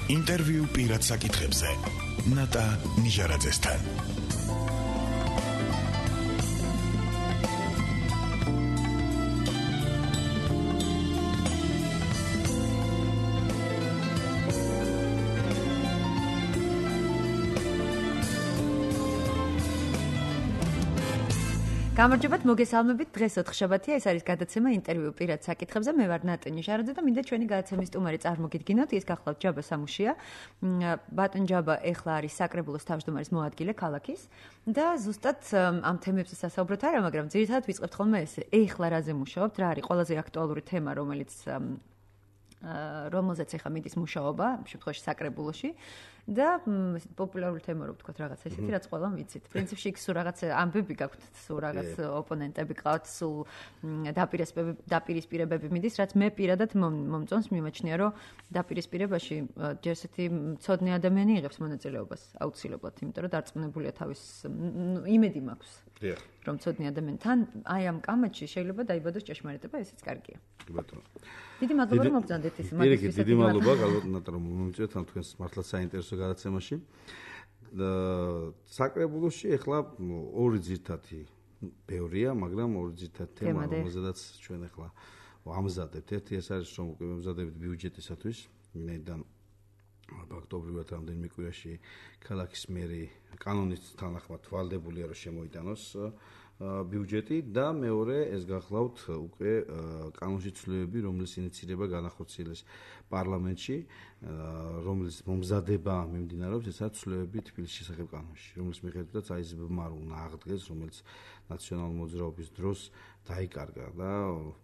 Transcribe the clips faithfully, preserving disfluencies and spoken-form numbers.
ინტერვიუ პირად საკითხებზე ნატა ნიჟარაძესთან. გამარჯობათ, მოგესალმებით. დღეს ოთხშაბათია, ეს არის გადაცემა ინტერვიუ პირად საკითხებზე. მე ვარ ნატა ნიჟარაძე და მინდა ჩვენი გადაცემის სტუმარი წარმოგიდგინოთ. ის გახლავთ ჯაბა სამუშია. ბატონ ჯაბა ეხლა არის საკრებულოს თავმჯდომარის მოადგილე ქალაქის და ზუსტად ამ თემებზე სასაუბროთ არა, მაგრამ ძირითადად ვიწყებთ ხოლმე ესე. ეხლა რაზე მუშაობთ? რა არის ყველაზე აქტუალური თემა, რომელიც რომელზეც ეხლა მიდის მუშაობა, ამ შემთხვევაში საკრებულოში? და პოპულარული თემა რო ვთქვათ რაღაცა ისეთი, რაც ყველამ ვიცით. პრინციპში იქ სულ რაღაც ამბები გაქვთ, სულ რაღაც ოპონენტები ყავთ, სულ დაპირისპირებები მიდის, რაც მე პირადად მომწონს, მიმაჩნია, რომ დაპირისპირებაში ჯერ ესეთი მცოდნე ადამიანი იღებს მონაწილეობას აუცილებლად, იმიტომ რომ დარწმუნებულია თავის იმედი მაქვს. რომ მცოდნე ადამიანი თან აი ამ კამათში შეიძლება დაიბადოს ჭეშმარიტება, ესეც კარგია. კი ბატონო. დიდი მადლობა რომ მოგზანდეთ ის მაგისთვის. დიდი მადლობა, ალბათ ნატა რომ მომიწვიეთ ამ თქვენს მართლაც საინტერესო გადაცემაში. საკრებულოში ეხლა ორი ძირითადი ბევრია, მაგრამ ორი ძირითადი თემა, რომელზედაც ჩვენ ეხლა ამზადებთ. ერთი ეს არის, რომ უკვე მზადებით ბიუჯეტისათვის, ვინაიდან ფაქტობრივად რამდენიმე კვირაში ქალაქის მერი კანონის თანახმად ვალდებულია, რომ შემოიტანოს ბიუჯეტი და მეორე ეს გახლავთ უკვე კანონში ცვლილებები, რომლის ინიციირება განახორციელეს პარლამენტში, რომლის მომზადება მიმდინარეობს, ესაც ცვლილებები თბილისის შესახებ კანონში, რომლის მიხედვითაც აიზბმა უნდა აღდგეს, რომელიც ნაციონალური მოძრაობის დროს დაიკარგა და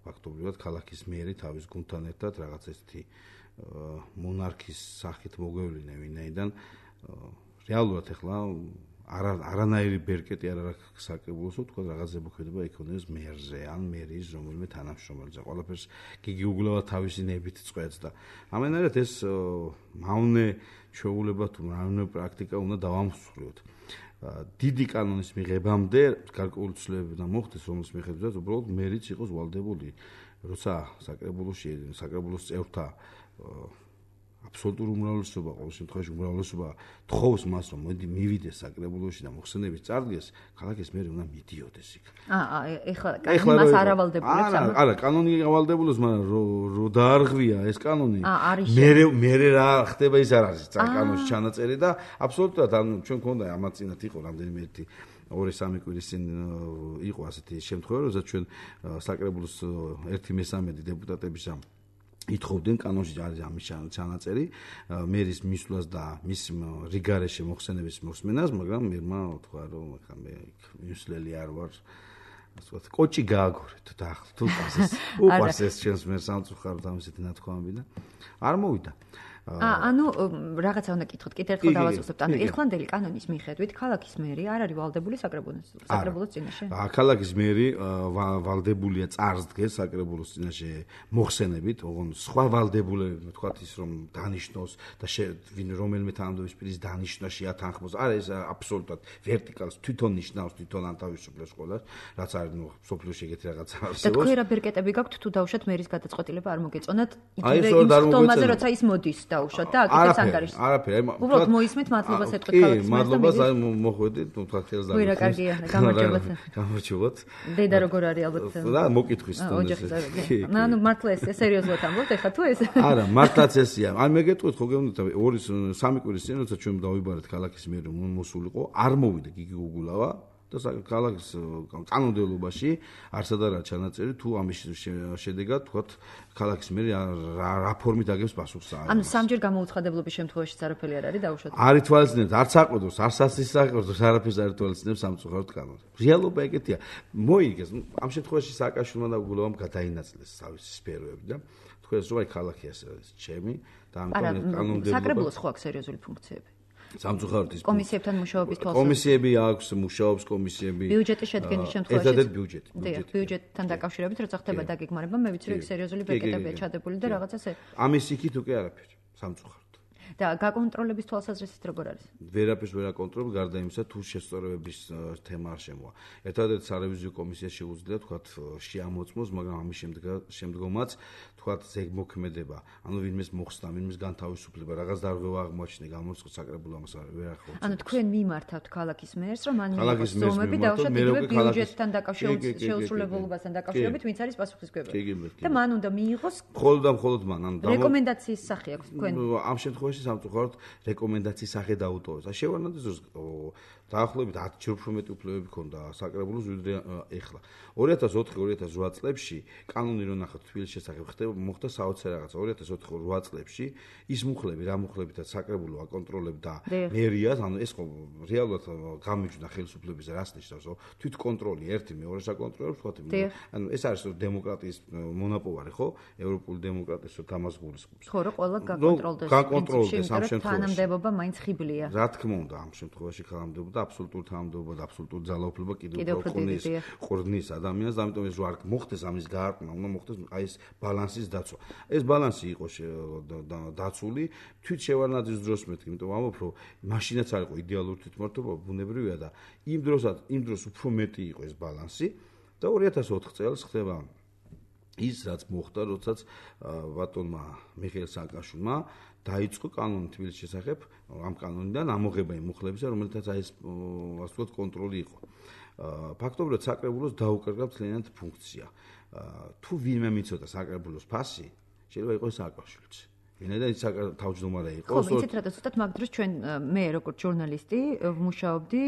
ფაქტობრივად ქალაქის მერი თავის გუნდთან ერთად რაღაც ესეთი მონარქის სახით მოგვევლინა, ვინაიდან რეალურად ეხლა არა არანაირი ბერკეტი არ აქვს საკრებულოს, თქვა რაღაც ზემოქმედება იქონიოს მერზე ან მერის რომელიმე თანამშრომელზე. ყველაფერს გიგი უგლავა თავისი ნებით წყვეტს და ამენერად ეს მავნე ჩვეულება თუ მავნე პრაქტიკა უნდა დავამსხვრიოთ. დიდი კანონის მიღებამდე გარკვეული ცვლილებები უნდა მოხდეს, რომლის მიხედვითაც უბრალოდ მერიც იყოს ვალდებული, როცა საკრებულოში საკრებულოს წევრთა აბსოლუტური უმრავლესობა, ყოველ შემთხვევაში უმრავლესობა თხოვს მას, რომ მოდი მივიდეს საკრებულოში და მოხსენების წარდგეს, ქალაქის მერი უნდა მიდიოდეს იქ. აა, ეხლა კანონი მას არ ავალდებულებს ამ. არა, კანონი ავალდებულებს, მაგრამ რო დაარღვია ეს კანონი, მერე მერე რა ხდება ის არ არის კანონში ჩანაწერი და აბსოლუტურად ანუ ჩვენ გქონდა ამაც წინათ იყო რამდენიმე ერთი ორი სამი კვირის წინ იყო ასეთი შემთხვევა, როდესაც ჩვენ საკრებულოს ერთი მესამედი დეპუტატების ამ ითხოვდნენ კანონში არის ამის ჩანაწერი მერის მისვლას და მის რიგარეშე მოხსენების მოსმენას, მაგრამ მერმა თქვა რომ ხა მე მისვლელი არ ვარ, ასე ვთქვათ, კოჭი გააგორეთ და ახლა თუ პასეს უყარს ეს ჩვენს მე სამწუხაროდ ამისეთი ნათქვამები და არ მოვიდა. აა, ანუ რაღაცა უნდა კითხოთ, კიდევ ერთხელ დავასუსტებთ. ანუ ეხლანდელი კანონის მიხედვით ქალაქის მერი არ არის ვალდებული საკრებულოს საკრებულოს წინაშე? აა, ქალაქის მერი ვალდებულია წარსდგეს საკრებულოს წინაშე მოხსენებით, ოღონდ სხვა ვალდებულები, თქვათ ის რომ დანიშნოს და ვინ რომელიმე თანამდებობის პირის დანიშნა შეათანხმოს. არა, ეს აბსოლუტურად ვერტიკალს თვითონ ნიშნავს, თვითონ ანთავისუფლებს ყველას, რაც არის ნუ სოფლიოში ეგეთი რაღაცა არსებობს. და თქვენ რა ბერკეტები გაქვთ თუ დავუშვათ მერის გადაწყვეტილება არ მოგეწონათ? იგივე იმ ხტომაზე, როცა ის მოდის დაუშვათ და აკეთებს ანგარიშს. არაფერი, აი უბრალოდ მოისმით მადლობას ეთქვით ქალაქის მერს და მადლობას აი მოხვედით, ნუ თქვა ხელს და. ვირა კარგია, გამარჯობათ. გამარჯობათ. დედა როგორ არის ალბათ? და მოკითხვის თუნდაც. ანუ მართლა ეს სერიოზულად ამბობთ ეხლა თუ ეს? არა, მართლაც ესია. აი მე გეტყვით ხო გეუბნით ორი სამი კვირის წინ, როცა ჩვენ დავიბარეთ ქალაქის მერი მოსულიყო, არ მოვიდა გიგი უგულავა და ქალაქის კანონმდებლობაში არსად არა ჩანაწერი თუ ამის შედეგად თქვათ ქალაქის მერი რა ფორმით აგებს პასუხს. ანუ სამჯერ გამოუცხადებლობის შემთხვევაში არაფერი არ არის დაუშვათ. არ ითვალისწინებს, არც აყვედოს, არც სასწრაფოს, არაფერს არ ითვალისწინებს სამწუხაროდ კანონი. რეალობა ეგეთია. მოიგეს, ამ შემთხვევაში სააკაშვილმა და უგულავამ გადაინაცვლეს თავისი სფეროები და თქვენს რომ აი ქალაქი ასე არის ჩემი და ამიტომ კანონმდებლობა საკრებულოს ხო აქვს სერიოზული ფუნქციები? სამწუხაროდ ის კომისიებთან მუშაობის თვალსაზრისით. კომისიები აქვს, მუშაობს კომისიები. ბიუჯეტის შედგენის შემთხვევაში. ერთადერთ ბიუჯეტი. ბიუჯეტთან დაკავშირებით, როცა ხდება დაგეგმარება, მე ვიცი რომ იქ სერიოზული ბეკეტებია ჩადებული და რაღაცას. ამის იქით უკვე არაფერი, სამწუხაროდ. და გაკონტროლების თვალსაზრისით როგორ არის? ვერაფერს ვერ აკონტროლებ, გარდა იმისა, თუ შესწორებების თემა არ შემოვა. ერთადერთი სარევიზიო კომისია შეუძლია თქვათ შეამოწმოს, მაგრამ ამის შემდგომაც თქვათ ზეგმოქმედება, ანუ ვინმეს მოხსნა, ვინმეს განთავისუფლება, რაღაც დარღვევა აღმოაჩინა, გამოწყო საკრებულო ამას ვერ ახორციელებს. ანუ თქვენ მიმართავთ ქალაქის მერს, რომ მან მიიღოს ზომები დაუშვათ იგივე ბიუჯეტთან დაკავშირებით, შეუსრულებლობასთან დაკავშირებით, ვინც არის პასუხისმგებელი. და მან უნდა მიიღოს მხოლოდ და მხოლოდ მან, ანუ რეკომენდაციის სახე აქვს თქვენ. ამ შემთხვევაში სამწუხაროდ რეკომენდაციის სახე დაუტოვეს. და შევარდნადეს დროს დაახლოებით ათი ჯერ უფრო მეტი უფლებები ჰქონდა საკრებულოს ვიდრე ეხლა. ორი ათას ოთხი ორი ათას რვა წლებში კანონი რო ნახოთ თბილისის შესახებ ხდება მოხდა საოცარ რაღაცა. ორი ათას ოთხი რვა წლებში ის მუხლები, რა მუხლებითაც საკრებულო აკონტროლებდა მერიას, ანუ ეს ხო რეალურად გამიჯდა ხელისუფლების რას ნიშნავს, რომ თვით კონტროლი ერთი მეორეს აკონტროლებს, თქვათ, ანუ ეს არის დემოკრატიის მონოპოლარი, ხო? ევროპული დემოკრატიის თამას გულისხმობს. ხო, რომ ყველა გაკონტროლდეს. გაკონტროლდეს ამ შემთხვევაში. თანამდებობა მაინც ხიბლია. რა თქმა უნდა, ამ შემთხვევაში თანამდებობა აბსოლუტური თანამდებობა და აბსოლუტური ძალაუფლება კიდევ უფრო ყრნის ყრნის ადამიანს, ამიტომ ეს რო არ მოხდეს ამის გაარკვნა, უნდა მოხდეს აი ეს ბალანსის დაცვა. ეს ბალანსი იყო დაცული თვით შევარდნაძის დროს მეთქი, იმიტომ ამბობ რომ მაშინაც არ იყო იდეალური თვითმმართველობა, ბუნებრივია და იმ დროსაც იმ დროს უფრო მეტი იყო ეს ბალანსი და ორი ათას ოთხ წელს ხდება ის რაც მოხდა, როდესაც ბატონმა მიხეილ სააკაშვილმა დაიწყო კანონი თბილისის შესახებ, ამ კანონიდან ამოღება იმ მუხლებისა, რომელთაც აი ეს ასე ვთქვათ კონტროლი იყო. ფაქტობრივად საკრებულოს დაუკარგა მთლიანად ფუნქცია. თუ ვინმე მიცოდა საკრებულოს ფასი, შეიძლება იყოს სააკაშვილიც. ვინაიდან ის თავმჯდომარე იყო. ხო, იცით რა თქმა უნდა, მაგ დროს ჩვენ მე როგორც ჟურნალისტი ვმუშაობდი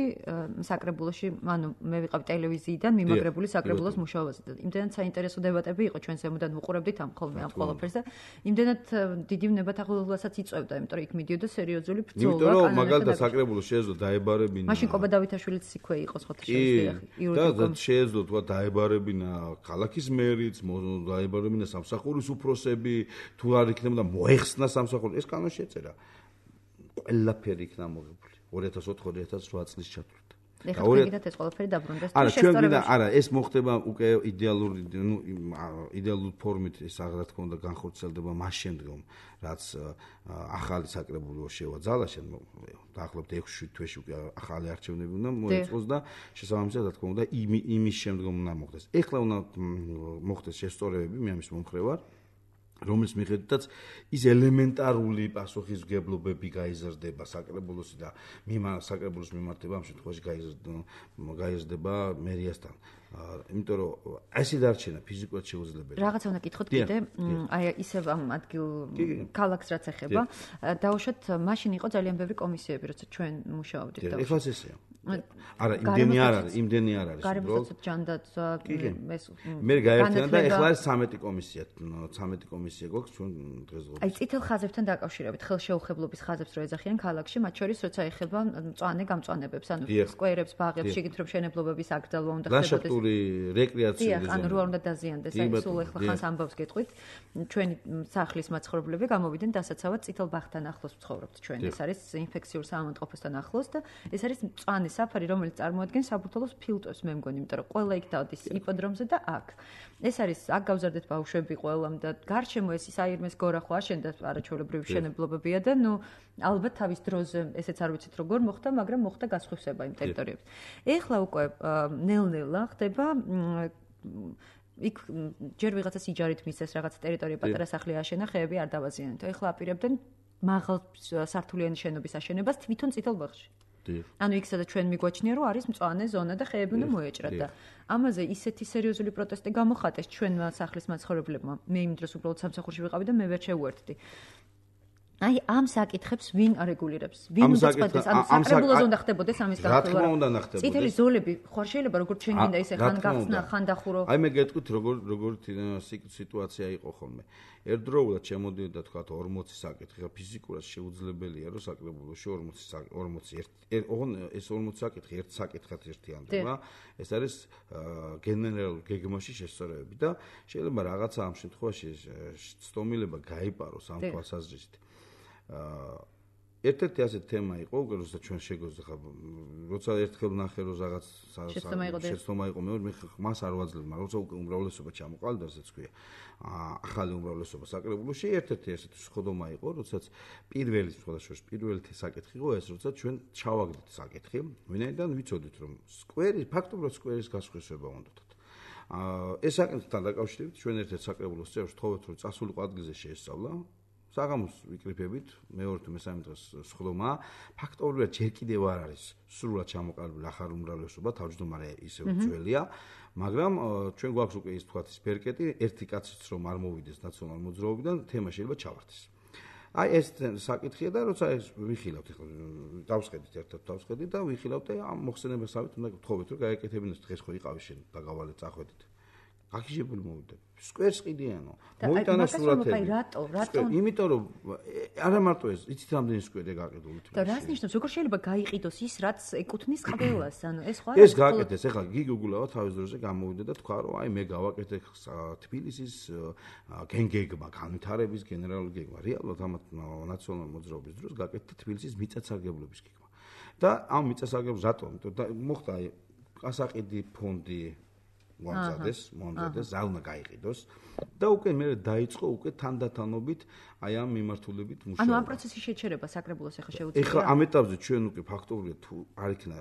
საკრებულოში, ანუ მე ვიყავი ტელევიზიიდან მიმაგრებული საკრებულოს მუშაობაზე. იმდენად საინტერესო დებატები იყო, ჩვენ ზემოდან ვუყურებდით ამ ხოლმე ამ ყველაფერს და იმდენად დიდი ნებათაღელობასაც იწვევდა, იმიტომ რომ იქ მიდიოდა სერიოზული ბრძოლა. იმიტომ რომ მაგალითად საკრებულოს შეეძლო დაებარებინა. მაშინ კობა დავითაშვილიც იქვე იყო ხოთაშვილის იურიდიულ და შეეძლო თქვა დაებარებინა ქალაქის მერიც, დაებარებინა სამსახურის უფროსები, თუ არ იქნებოდა მოეხ ხსნა სამსახური ეს კანონში ეწერა ყველაფერი იქნა მოგებული ორი ათას ოთხ ორი ათას რვა წლის ჩათვლით და გიგდათ ეს ყველაფერი დაბრუნდეს არა ჩვენ გინდა არა ეს მოხდება უკვე იდეალური ნუ იდეალური ფორმით ეს რა თქმა უნდა განხორციელდება მას შემდგომ რაც ახალი საკრებულო შევაძალა შენ დაახლოებით ექვსი თვეში უკვე ახალი არჩევნები უნდა მოეწყოს და შესაბამისად რა თქმა უნდა იმის შემდგომ უნდა მოხდეს ეხლა უნდა მოხდეს შესწორებები მე ამის მომხრე ვარ რომლის მიხედვითაც ის ელემენტარული პასუხისმგებლობები გაიზრდება საკრებულოსი და საკრებულოს მიმართება ამ შემთხვევაში გაიზრდება მერიასთან. იმიტომ რომ ესე დარჩენა ფიზიკურად შეუძლებელი. რაღაცა უნდა გითხოთ კიდე, აი ისევ ამ ადგილ ქალაქს რაც ეხება, დაუშვათ მაშინ იყო ძალიან ბევრი კომისიები, როცა ჩვენ მუშაობდით და ეხლაც ესეა. არა, იმდენი არ არის, იმდენი არ არის. გარემოსაცობ ჯანდაცვა ეს მე გაერთიანდა და ეხლა არის ცამეტი კომისია, ცამეტი კომისია გვაქვს ჩვენ დღესდღეობით. აი წითელ ხაზებთან დაკავშირებით, ხელშეუხებლობის ხაზებს რო ეძახიან ქალაქში, მათ შორის როცა ეხება მწვანე გამწვანებებს, ანუ სკვერებს, ბაღებს, შეგით რომ მშენებლობების აკრძალვა უნდა ხდებოდეს. რეკრეაციული ზონა. ანუ რო არ უნდა დაზიანდეს, აი სულ ეხლა ხანს ამბავს გეტყვით, ჩვენი სახლის მაცხოვრებლები გამოვიდნენ დასაცავად წითელ ბაღთან ახლოს ცხოვრობთ ჩვენ. ეს არის ინფექციურ საავადმყოფოსთან ახლოს და ეს არის მწვანე საფარი, რომელიც წარმოადგენს საბურთალოს ფილტვებს, მე მგონი, იმიტომ რომ ყველა იქ დადის იპოდრომზე და აქ. ეს არის აქ გავზარდეთ ბავშვები ყველამ და გარშემო ეს საირმეს გორა ხო აშენდა არაჩვეულებრივი მშენებლობებია და ნუ ალბათ თავის დროზე ესეც არ ვიცით როგორ მოხდა, მაგრამ მოხდა გასხვევსება იმ ტერიტორიებზე. ეხლა უკვე ნელ-ნელა ხდება იქ ჯერ ვიღაცას იჯარით მისცეს რაღაც ტერიტორია პატარა სახლი აშენა, ხეები არ დავაზიანეთ. ეხლა აპირებდნენ მაღალ სართულიანი შენობის აშენებას თვითონ წითელ ბაღში. ანუ იქ სადაც ჩვენ მიგვაჩნია რომ არის მწვანე ზონა და ხეები უნდა მოეჭრათ და ამაზე ისეთი სერიოზული პროტესტი გამოხატეს ჩვენმა სახლის მაცხოვრებლებმა. მე იმ დროს უბრალოდ სამსახურში ვიყავი და მე ვერ შევუერთდი. აი ამ საკითხებს ვინ არეგულირებს? ვინ უნდა წყვეტდეს? ანუ საკრებულოზე უნდა ხდებოდეს ამის განხილვა. რა თქმა უნდა ხდებოდეს. წითელი ზოლები ხარ შეიძლება როგორ ჩვენ გინდა ისე ხან გახსნა, ხან დახურო. აი მე გეტყვით როგორ როგორ სიტუაცია იყო ხოლმე. ერთდროულად შემოდიოდა თქვა ორმოცი საკითხი, ხა ფიზიკურად შეუძლებელია რომ საკრებულოში ორმოცი ორმოცი ოღონ ეს ორმოცი საკითხი ერთ საკითხად ერთიანდება. ეს არის გენერალურ გეგმაში შესწორებები და შეიძლება რაღაცა ამ შემთხვევაში ცდომილება გაიპაროს ამ თვალსაზრისით. ერთ-ერთი ასეთი თემა იყო, უკვე როცა ჩვენ შეგვეძ ხა, როცა ერთხელ ნახე რომ რაღაც შეცდომა იყო, მე მას არ ვაძლევ, მაგრამ როცა უკვე უმრავლესობა ჩამოყალიბდა, რასაც ქვია, ახალი უმრავლესობა საკრებულოში, ერთ-ერთი ასეთი სხდომა იყო, როდესაც პირველი სხვადასხვა პირველი საკითხი იყო ეს, როცა ჩვენ ჩავაგდით საკითხი, ვინაიდან ვიცოდით რომ სკვერი, ფაქტობრივად სკვერის გასხვისება უნდათ. ეს საკითხთან დაკავშირებით ჩვენ ერთ-ერთ საკრებულოს წევრს თხოვეთ რომ წასულიყო ადგილზე შეესწავლა. საღამოს ვიკრიფებით, მეორე თუ მესამე დღეს სხდომა, ფაქტობრივად ჯერ კიდევ არ არის სრულად ჩამოყალიბებული ახალი უმრავლესობა, თავმჯდომარე ისევ ძველია, მაგრამ ჩვენ გვაქვს უკვე ის თქვათ ის ბერკეტი, ერთი კაციც რომ არ მოვიდეს ნაციონალურ მოძრაობიდან, თემა შეიძლება ჩავარდეს. აი ეს საკითხია და როცა ეს ვიხილავთ, ეხლა დავსხედით ერთად დავსხედით და ვიხილავთ და ამ მოხსენებასავით უნდა გთხოვეთ რომ გაეკეთებინოს დღეს ხო იყავი შენ დაგავალეთ წახვედით. გაგიჟებული მოვიდა. სკვერს ყიდიანო. მოვიტანა სურათები. რატო? რატო? იმიტომ რომ არა მარტო ეს, იცით რამდენი სკვერია გაყიდული თვითონ. და რას ნიშნავს? როგორ შეიძლება გაიყიდოს ის, რაც ეკუთვნის ყველას? ანუ ეს ხო არის? ეს გააკეთეს, ეხლა გიგუგულავა თავის დროზე გამოვიდა და თქვა რომ აი მე გავაკეთე თბილისის გენგეგმა, განვითარების გენერალური გეგმა. რეალურად ამ ნაციონალური მოძრაობის დროს გააკეთე თბილისის მიწათსარგებლობის გეგმა. და ამ მიწათსარგებლობის რატომ? იმიტომ და მოხდა აი ასაყიდი ფონდი მომზადეს, მომზადეს, რა უნდა გაიყიდოს და უკვე მე დაიწყო უკვე თანდათანობით აი ამ მიმართულებით მუშაობა. ანუ ამ პროცესის შეჩერება საკრებულოს ახლა შეუძლია. ეხლა ამ ეტაპზე ჩვენ უკვე ფაქტობრივად თუ არ იქნა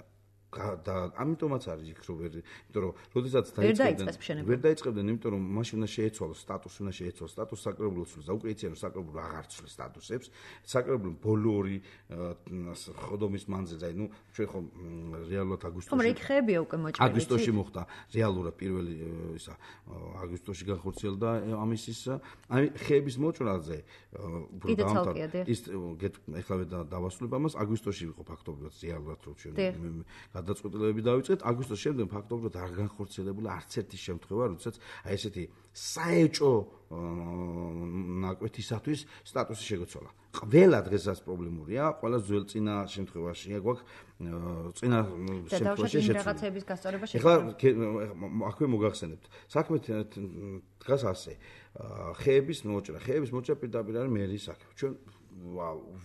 და ამიტომაც არის იქ რომ ვერ, იმიტომ რომ როდესაც დაიწყებდნენ, ვერ დაიწყებდნენ, იმიტომ რომ მაშინ უნდა შეეცვალოს სტატუსი, უნდა შეეცვალოს სტატუს საკრებულოს და უკვე იციან რომ საკრებულო აღარ ცვლის სტატუსებს. საკრებულო ბოლო ორი ხდომის მანძილზე, აი ნუ ჩვენ ხო რეალურად აგვისტოში. ხომ რეკ ხეებია უკვე მოჭრილი. აგვისტოში მოხდა რეალურად პირველი ისა აგვისტოში განხორციელდა ამის ის აი ხეების მოჭრაზე უფრო დაამთავრა. ის ეხლა დავასრულებ ამას, აგვისტოში იყო ფაქტობრივად რეალურად რომ ჩვენ გადაწყვეტილებები დავიწყეთ, აგვისტოს შემდეგ ფაქტობრივად არ განხორციელებულა არც ერთი შემთხვევა, როდესაც აი ესეთი საეჭო ნაკვეთისათვის სტატუსი შეგეცვალა. ყველა დღესაც პრობლემურია, ყველა ძველ წინა შემთხვევაშია გვაქვს წინა შემთხვევაში რაღაცების გასწორება შეგვიძლია. ეხლა აქვე მოგახსენებთ. საქმე დგას ასე. ხეების მოჭრა, ხეების მოჭრა პირდაპირ არის მერის საქმე. ჩვენ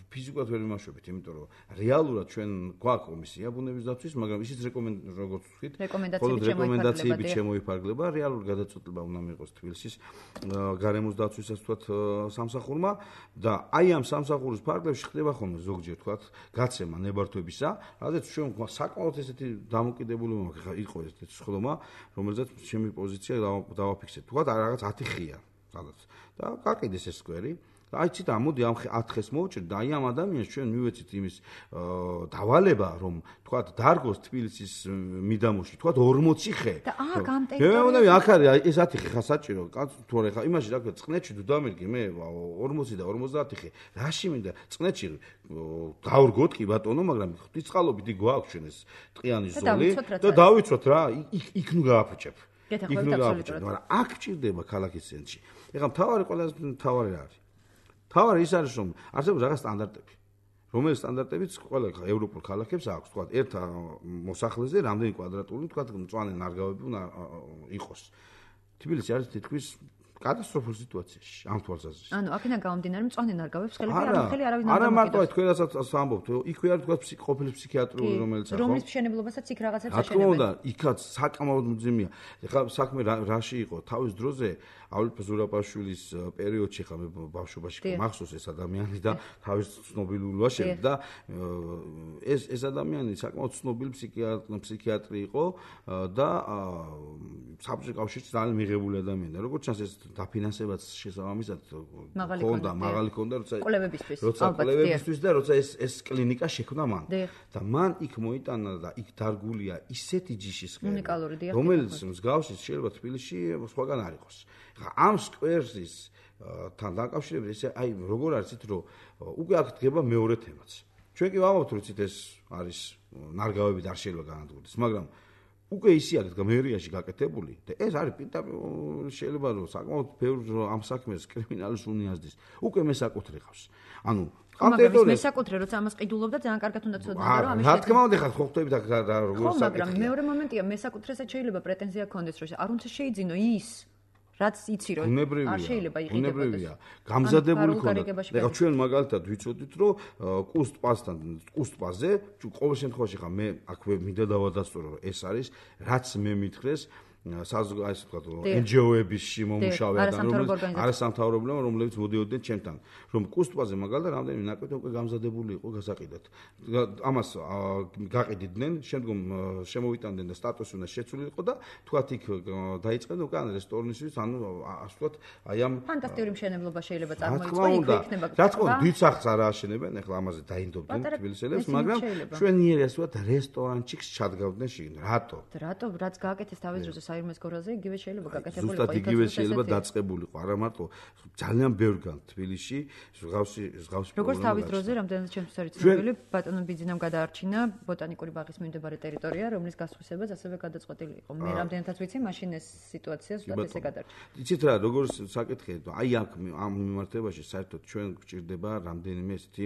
ფიზიკურად ვერ ვიმაშვებით, იმიტომ რომ რეალურად ჩვენ გვაქვს კომისია ბუნების დაცვის, მაგრამ ისიც რეკომენდ როგორც ვთქვით, რეკომენდაციები შემოიფარგლება, რეალური გადაწყვეტილება უნდა მიიღოს თბილისის გარემოს დაცვისას თქვათ სამსახურმა და აი ამ სამსახურის ფარგლებში ხდება ხოლმე ზოგჯერ თქვათ გაცემა ნებართვებისა, რადგან ჩვენ საკმაოდ ესეთი დამოკიდებულება მაქვს, ხა იყო ესეთი სხდომა, რომელზეც ჩემი პოზიცია დავაფიქსეთ. თქვათ რაღაც ათი ხია, სადაც და გაყიდეს ეს სკვერი. აი ცით ამოდი ამ ათ ხეს მოვჭრით და აი ამ ადამიანს ჩვენ მივეცით იმის დავალება რომ თქვათ დარგოს თბილისის მიდამოში თქვათ ორმოცი ხე და აქ ამ ტერიტორიაზე მე მე აქ არის ეს ათი ხე ხა საჭირო თორე ხა იმაში რა ქვია წყნეთში თუ დამირგი მე ორმოცი და ორმოცდაათი ხე რაში მინდა წყნეთში დავრგოთ კი ბატონო მაგრამ ღვთისწყალობით გვაქვს ჩვენ ეს ტყიანი ზოლი და დავიცვათ რა იქ ნუ გააფუჭებ იქ ნუ გააფუჭებ მაგრამ აქ ჭირდება ქალაქის ცენტრში ეხლა მთავარი ყველაზე მთავარი რა არის თავარი ის არის რომ არსებობს რაღაც სტანდარტები რომელიც სტანდარტებიც ყველა ევროპულ ქალაქებს აქვს თქვა ერთ მოსახლეზე რამდენი კვადრატული თქვა მწვანე ნარგავები უნდა იყოს თბილისი არის თითქმის კატასტროფულ სიტუაციაში ამ თვალსაზრისით ანუ აქედან გამომდინარე მწვანე ნარგავებს ხელები არ ხელი არავინ არ არა მარტო თქვენ რასაც ამბობთ იქვე არის თქვა ყოფილი ფსიქიატრიული რომელიც ახო რომლის მშენებლობასაც იქ რაღაცებს აშენებენ რა თქმა უნდა იქაც საკმაოდ მძიმეა ეხლა საქმე რაში იყო თავის დროზე ავლიპ ზურაბაშვილის პერიოდში ხა მე ბავშვობაში მახსოვს ეს ადამიანი და თავის ცნობილურობა შევიდა ეს ეს ადამიანი საკმაოდ ცნობილი ფსიქიატრი იყო და საბჭოთა კავშირში ძალიან მიღებული ადამიანია როგორც ჩანს ეს დაფინანსებაც შესაბამისად ქონდა მაღალი ქონდა როცა კვლევებისთვის როცა კვლევებისთვის და როცა ეს ეს კლინიკა შექმნა მან და მან იქ მოიტანა და იქ დარგულია ისეთი ჯიშის ხელი რომელიც მსგავსი შეიძლება თბილისში სხვაგან არ იყოს ამ სკვერსის თან დაკავშირებით ესე აი როგორ არის იცით რომ უკვე აქ დგება მეორე თემაც ჩვენ კი ვამბობთ რომ იცით ეს არის ნარგავები და არ შეიძლება განადგურდეს მაგრამ უკვე ისი აქვს გამერიაში გაკეთებული და ეს არის პირდაპირ შეიძლება რომ საკმაოდ ბევრ ამ საქმეს კრიმინალის უნიაზდის უკვე მესაკუთრე ყავს ანუ ამ ტერიტორიაზე მესაკუთრე როცა ამას ყიდულობდა ძალიან კარგად უნდა ცოდნა რომ ამის რა თქმა უნდა ხა ხო ხვდებით აქ როგორ საკუთრე მაგრამ მეორე მომენტია მესაკუთრესაც შეიძლება პრეტენზია ქონდეს რომ არ უნდა შეიძინო ის რაც იცი რომ არ შეიძლება იყიდებოდეს. ბუნებრივია. გამზადებული ქონდა. ეხლა ჩვენ მაგალითად ვიცოდით რომ კუსტ-პასთან, კუსტ-პასზე ყოველ შემთხვევაში ხა მე აქვე მინდა დავადასტურო რომ ეს არის რაც მე მითხრეს საზოგადო ასე ვთქვათ εν ჯი ო-ების შემომუშავე ადამიანები არასამთავრობო რომლებიც მოდიოდნენ ჩემთან რომ კუსტ-პასზე მაგალითად რამდენიმე ნაკვეთი უკვე გამზადებული იყო გასაყიდად ამას გაყიდიდნენ შემდგომ შემოვიტანდნენ და სტატუსი უნდა შეცვლილიყო და თქვათ იქ დაიწყეს უკვე ან რესტორნისთვის ანუ ასე ვთქვათ აი ამ ფანტასტიკური მშენებლობა შეიძლება წარმოიწყო იქ იქნება რა თქმა უნდა დიდ სახლს არ აშენებენ ეხლა ამაზე დაინდობდნენ თბილისელებს მაგრამ ჩვენიერი ასე ვთქვათ რესტორანში ჩადგავდნენ შიგნით რატო რატო რაც გააკეთეს თავის დროზე საირმეს გორაზე იგივე შეიძლება გაკეთებულიყო ზუსტად იგივე შეიძლება დაწყებულიყო არა მარტო ძალიან ბევრგან თბილისში ზღავსი ზღავსი როგორც თავის დროზე რამდენადაც ჩემთვის არის ცნობილი ბატონო ბიძინამ გადაარჩინა ბოტანიკური ბაღის მიმდებარე ტერიტორია რომლის გასხვისებაც ასევე გადაწყვეტილი იყო მე რამდენადაც ვიცი მაშინ ეს სიტუაცია ზუსტად ესე გადარჩა იცით რა როგორც საკითხია აი აქ ამ მიმართებაში საერთოდ ჩვენ გვჭირდება რამდენიმე ესეთი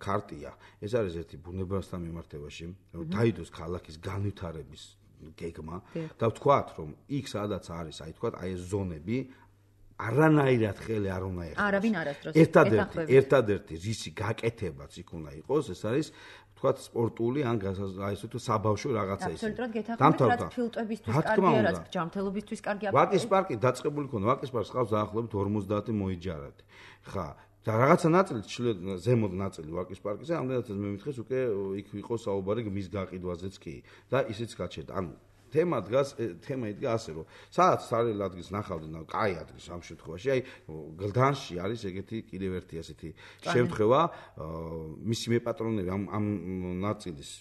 ქარტია ეს არის ერთი ბუნებასთან მიმართებაში დაიდოს ქალაქის განვითარების გეგმა და ვთქვათ რომ იქ სადაც არის აი ვთქვათ აი ეს ზონები არანაირად ხელი არ უნდა ეხოს არავინ არასდროს ერთადერთი ერთადერთი რისი გაკეთებაც იქ უნდა იყოს ეს არის ვთქვათ სპორტული ან აი ესე თუ საბავშვო რაღაცა ისე აბსოლუტურად გეთანხმებით რაც ფილტვებისთვის კარგია რაც ჯანმრთელობისთვის კარგია ვაკის პარკი დაწყებული ქონდა ვაკის პარკს ყავს დაახლოებით ორმოცდაათი მოიჯარადი ხა და რაღაცა ნაწილი ზემოთ ნაწილი ვაკის პარკზე ამდენადაც მე მითხეს უკვე იქ იყო საუბარი მის გაყიდვაზეც კი და ისიც გაჩერდა ანუ თემა დგას თემა იდგა ასე რომ სადაც სარელ ადგილს ნახავდნენ და კაი ადგილს ამ შემთხვევაში აი გლდანში არის ეგეთი კიდევ ერთი ასეთი შემთხვევა მისი მეპატრონები ამ ამ ნაწილის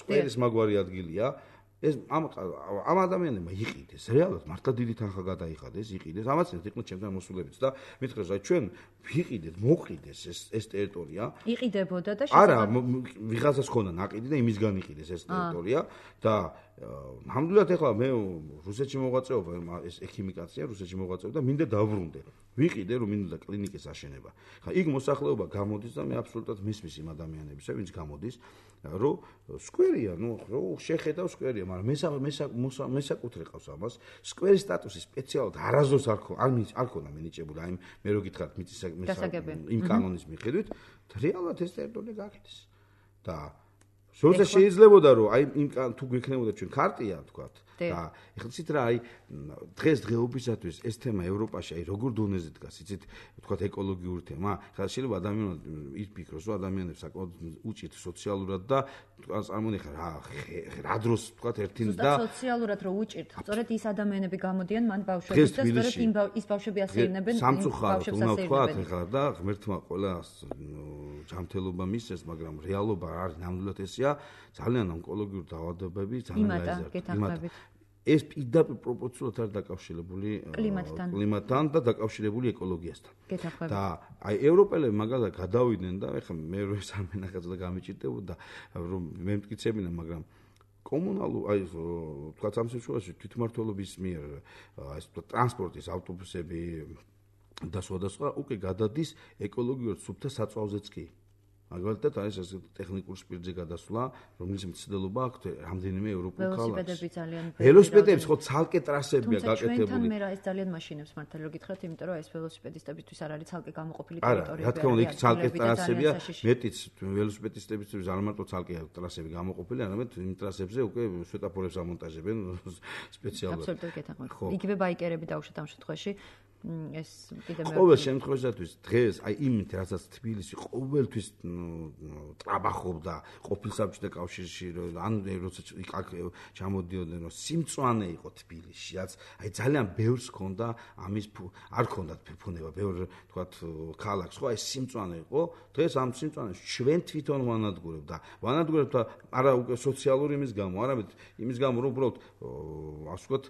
სკვერის მაგვარი ადგილია ეს ამ ამ ადამიანებმა იყიდეს რეალურად მართლა დიდი თანხა გადაიხადეს იყიდეს ამაცნეთ იყვნენ ჩემთან მოსულებიც და მithres რა ჩვენ ვიყიდეთ მოყიდეს ეს ეს ტერიტორია იყიდებოდა და არა ვიღაცას ქონდა ნაყიდი და იმისგან იყიდეს ეს ტერიტორია და ნამდვილად ეხლა მე რუსეთში მოღვაწეობა ეს ექიმიკაცია რუსეთში მოღვაწეობა და მინდა დავბრუნდე ვიყიდე რომ მინდა კლინიკის აშენება ხა იქ მოსახლეობა გამოდის და მე აბსოლუტურად მისმის იმ ადამიანებისა ვინც გამოდის რომ სკვერია ნუ რო შეხედავ სკვერია მაგრამ მე მესაკუთრე ყავს ამას სკვერის სტატუსი სპეციალურად არაზოს არ ხო არ არ ქონა მინიჭებული აი მე რო გითხრათ მიწის იმ კანონის მიხედვით რეალურად ეს ტერიტორია გაკეთეს და როცა შეიძლებოდა რომ აი იმ თუ გვექნებოდა ჩვენ ქარტია ვთქვათ და ეხლა ცით რა აი დღეს დღეობისათვის ეს თემა ევროპაში აი როგორ დონეზე დგას იცით ვთქვათ ეკოლოგიური თემა ხა შეიძლება ადამიანები იფიქროს რომ ადამიანებს საკმაოდ უჭირთ სოციალურად და წარმონიხარ რა რა დროს ვთქვათ ერთინ და სოციალურად რო უჭირთ სწორედ ის ადამიანები გამოდიან მან ბავშვებს და სწორედ იმ ის ბავშვები ასეირნებენ ბავშვებს ასეირნებენ ხა და ღმერთმა ყველა ჯანმრთელობა მისცეს მაგრამ რეალობა არის ნამდვილად ესეა ძალიან ონკოლოგიური დაავადებები ძალიან გაიზარდა ეს პირდაპირ პროპორციულად არის დაკავშირებული კლიმატთან და დაკავშირებული ეკოლოგიასთან. და აი ევროპელები მაგალითად გადავიდნენ და ეხლა მე რო ეს არ მენახეთ და გამიჭირდებოდა რომ მე მტკიცებინა მაგრამ კომუნალურ აი თქვა ამ შემთხვევაში თვითმმართველობის მიერ ეს ტრანსპორტის ავტობუსები და სხვადასხვა უკვე გადადის ეკოლოგიურად სუფთა საწვავზეც კი. მაგალითად არის ეს ტექნიკურ სპირტზე გადასვლა, რომლის მცდელობა აქვს რამდენიმე ევროპულ ქალაქში. ველოსიპედები ძალიან ველოსიპედების ხო ცალკე ტრასებია გაკეთებული. ჩვენთან მე რა ეს ძალიან მაშინებს მართალი რო გითხრათ, იმიტომ რომ ეს ველოსიპედისტებისთვის არ არის ცალკე გამოყოფილი ტერიტორია. არა, რა თქმა უნდა, იქ ცალკე ტრასებია, მეტიც ველოსიპედისტებისთვის არ მარტო ცალკე ტრასები გამოყოფილი, არამედ იმ ტრასებზე უკვე სვეტაფორებს ამონტაჟებენ სპეციალურად. აბსოლუტურად გეთანხმებით. იგივე ბაიკერები დაუშვათ ამ შემთხვევაში. ეს კიდე მე ყოველ შემთხვევაშიც დღეს აი იმით რასაც თბილისი ყოველთვის ტრაბახობდა ყოფილ საბჭოთა კავშირში ან როცა იქ ჩამოდიოდნენ რომ სიმწვანე იყო თბილისში რაც აი ძალიან ბევრს ჰქონდა ამის არ ჰქონდათ ფუფუნება ბევრ თქვათ ქალაქს ხო აი სიმწვანე იყო დღეს ამ სიმწვანეს ჩვენ თვითონ ვანადგურებ და ვანადგურებ და არა უკვე სოციალური იმის გამო არამედ იმის გამო რომ უბრალოდ ასე ვთქვათ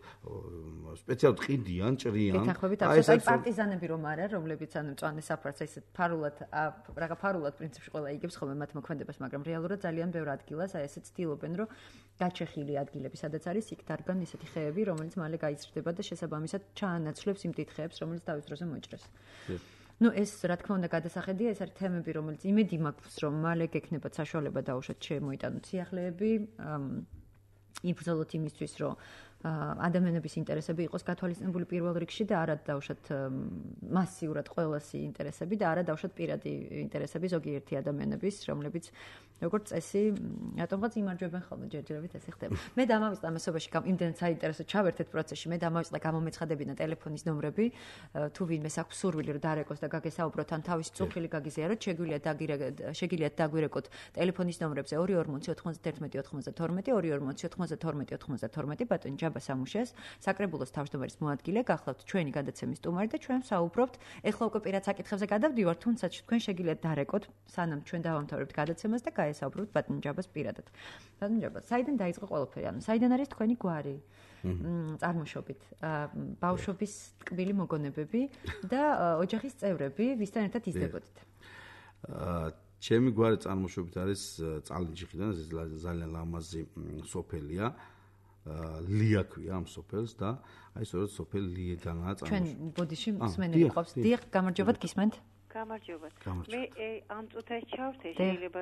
სპეციალურად ყიდიან ჭრიან აი პარტიზანები რომ არა, რომლებიც ანუ მწვანე საფრთხეს ისე ფარულად რაღა ფარულად პრინციპში ყველა იგებს ხოლმე მათ მოქმედებას, მაგრამ რეალურად ძალიან ბევრ ადგილას აი ესე ცდილობენ, რომ გაჩეხილი ადგილები, სადაც არის იქ დარგან ისეთი ხეები, რომელიც მალე გაიზრდება და შესაბამისად ჩაანაცვლებს იმ დიდ ხეებს, რომელიც თავის დროზე მოჭრეს. ნუ ეს რა თქმა უნდა გადასახედია, ეს არის თემები, რომელიც იმედი მაქვს, რომ მალე გექნებათ საშუალება დაუშვათ შემოიტანოთ სიახლეები, იბრძოლოთ იმისთვის, რომ ადამიანების ინტერესები იყოს გათვალისწინებული პირველ რიგში და არა დავუშვათ მასიურად ყველასი ინტერესები და არა დავუშვათ პირადი ინტერესები ზოგიერთი ადამიანების, რომლებიც როგორც წესი, რატომღაც იმარჯვებენ ხოლმე ჯერჯერობით ესე ხდება. მე დამავიწყდა ამასობაში იმდენად საინტერესო ჩავერთეთ პროცესში, მე დამავიწყდა გამომეცხადებინა ტელეფონის ნომრები, თუ ვინმეს აქვს სურვილი რომ დარეკოს და გაგესაუბროთ ან თავისი წუხილი გაგიზიაროთ, შეგვიძლია შეგიძლიათ დაგვირეკოთ ტელეფონის ნომრებზე ორი ორმოცი ოთხმოცდაერთმეტი ოთხმოცდათორმეტი ორი ორმოცი ოთხმოცდათორმეტი ოთხმოცდათორმეტი ბატონი ჯაბა სამუშეს, საკრებულოს თავმჯდომარის მოადგილე, გახლავთ ჩვენი გადაცემის სტუმარი და ჩვენ საუბრობთ. ეხლა უკვე პირად საკითხებზე გადავდივართ, თუმცა თქვენ შეგიძლიათ დარეკოთ, სანამ ჩვენ დავამთავრებთ გადაცემას და გაესაუბროთ ბატონ ჯაბას პირადად. ბატონ ჯაბა, საიდან დაიწყო ყველაფერი? ანუ საიდან არის თქვენი გვარი? წარმოშობით, ბავშვობის ტკბილი მოგონებები და ოჯახის წევრები, ვისთან ერთად იზრდებოდით? ჩემი გვარი წარმოშობით არის წალენჯიხიდან, ეს ძალიან ლამაზი სოფელია. ლია ქვია ამ სოფელს და აი სწორედ სოფელ ლიედანაა წარმოშობილი. ჩვენ ბოდიში მსმენელი ყავს. დიახ, გამარჯობათ, გისმენთ? გამარჯობათ. მე ამ წუთას ჩავრთე, შეიძლება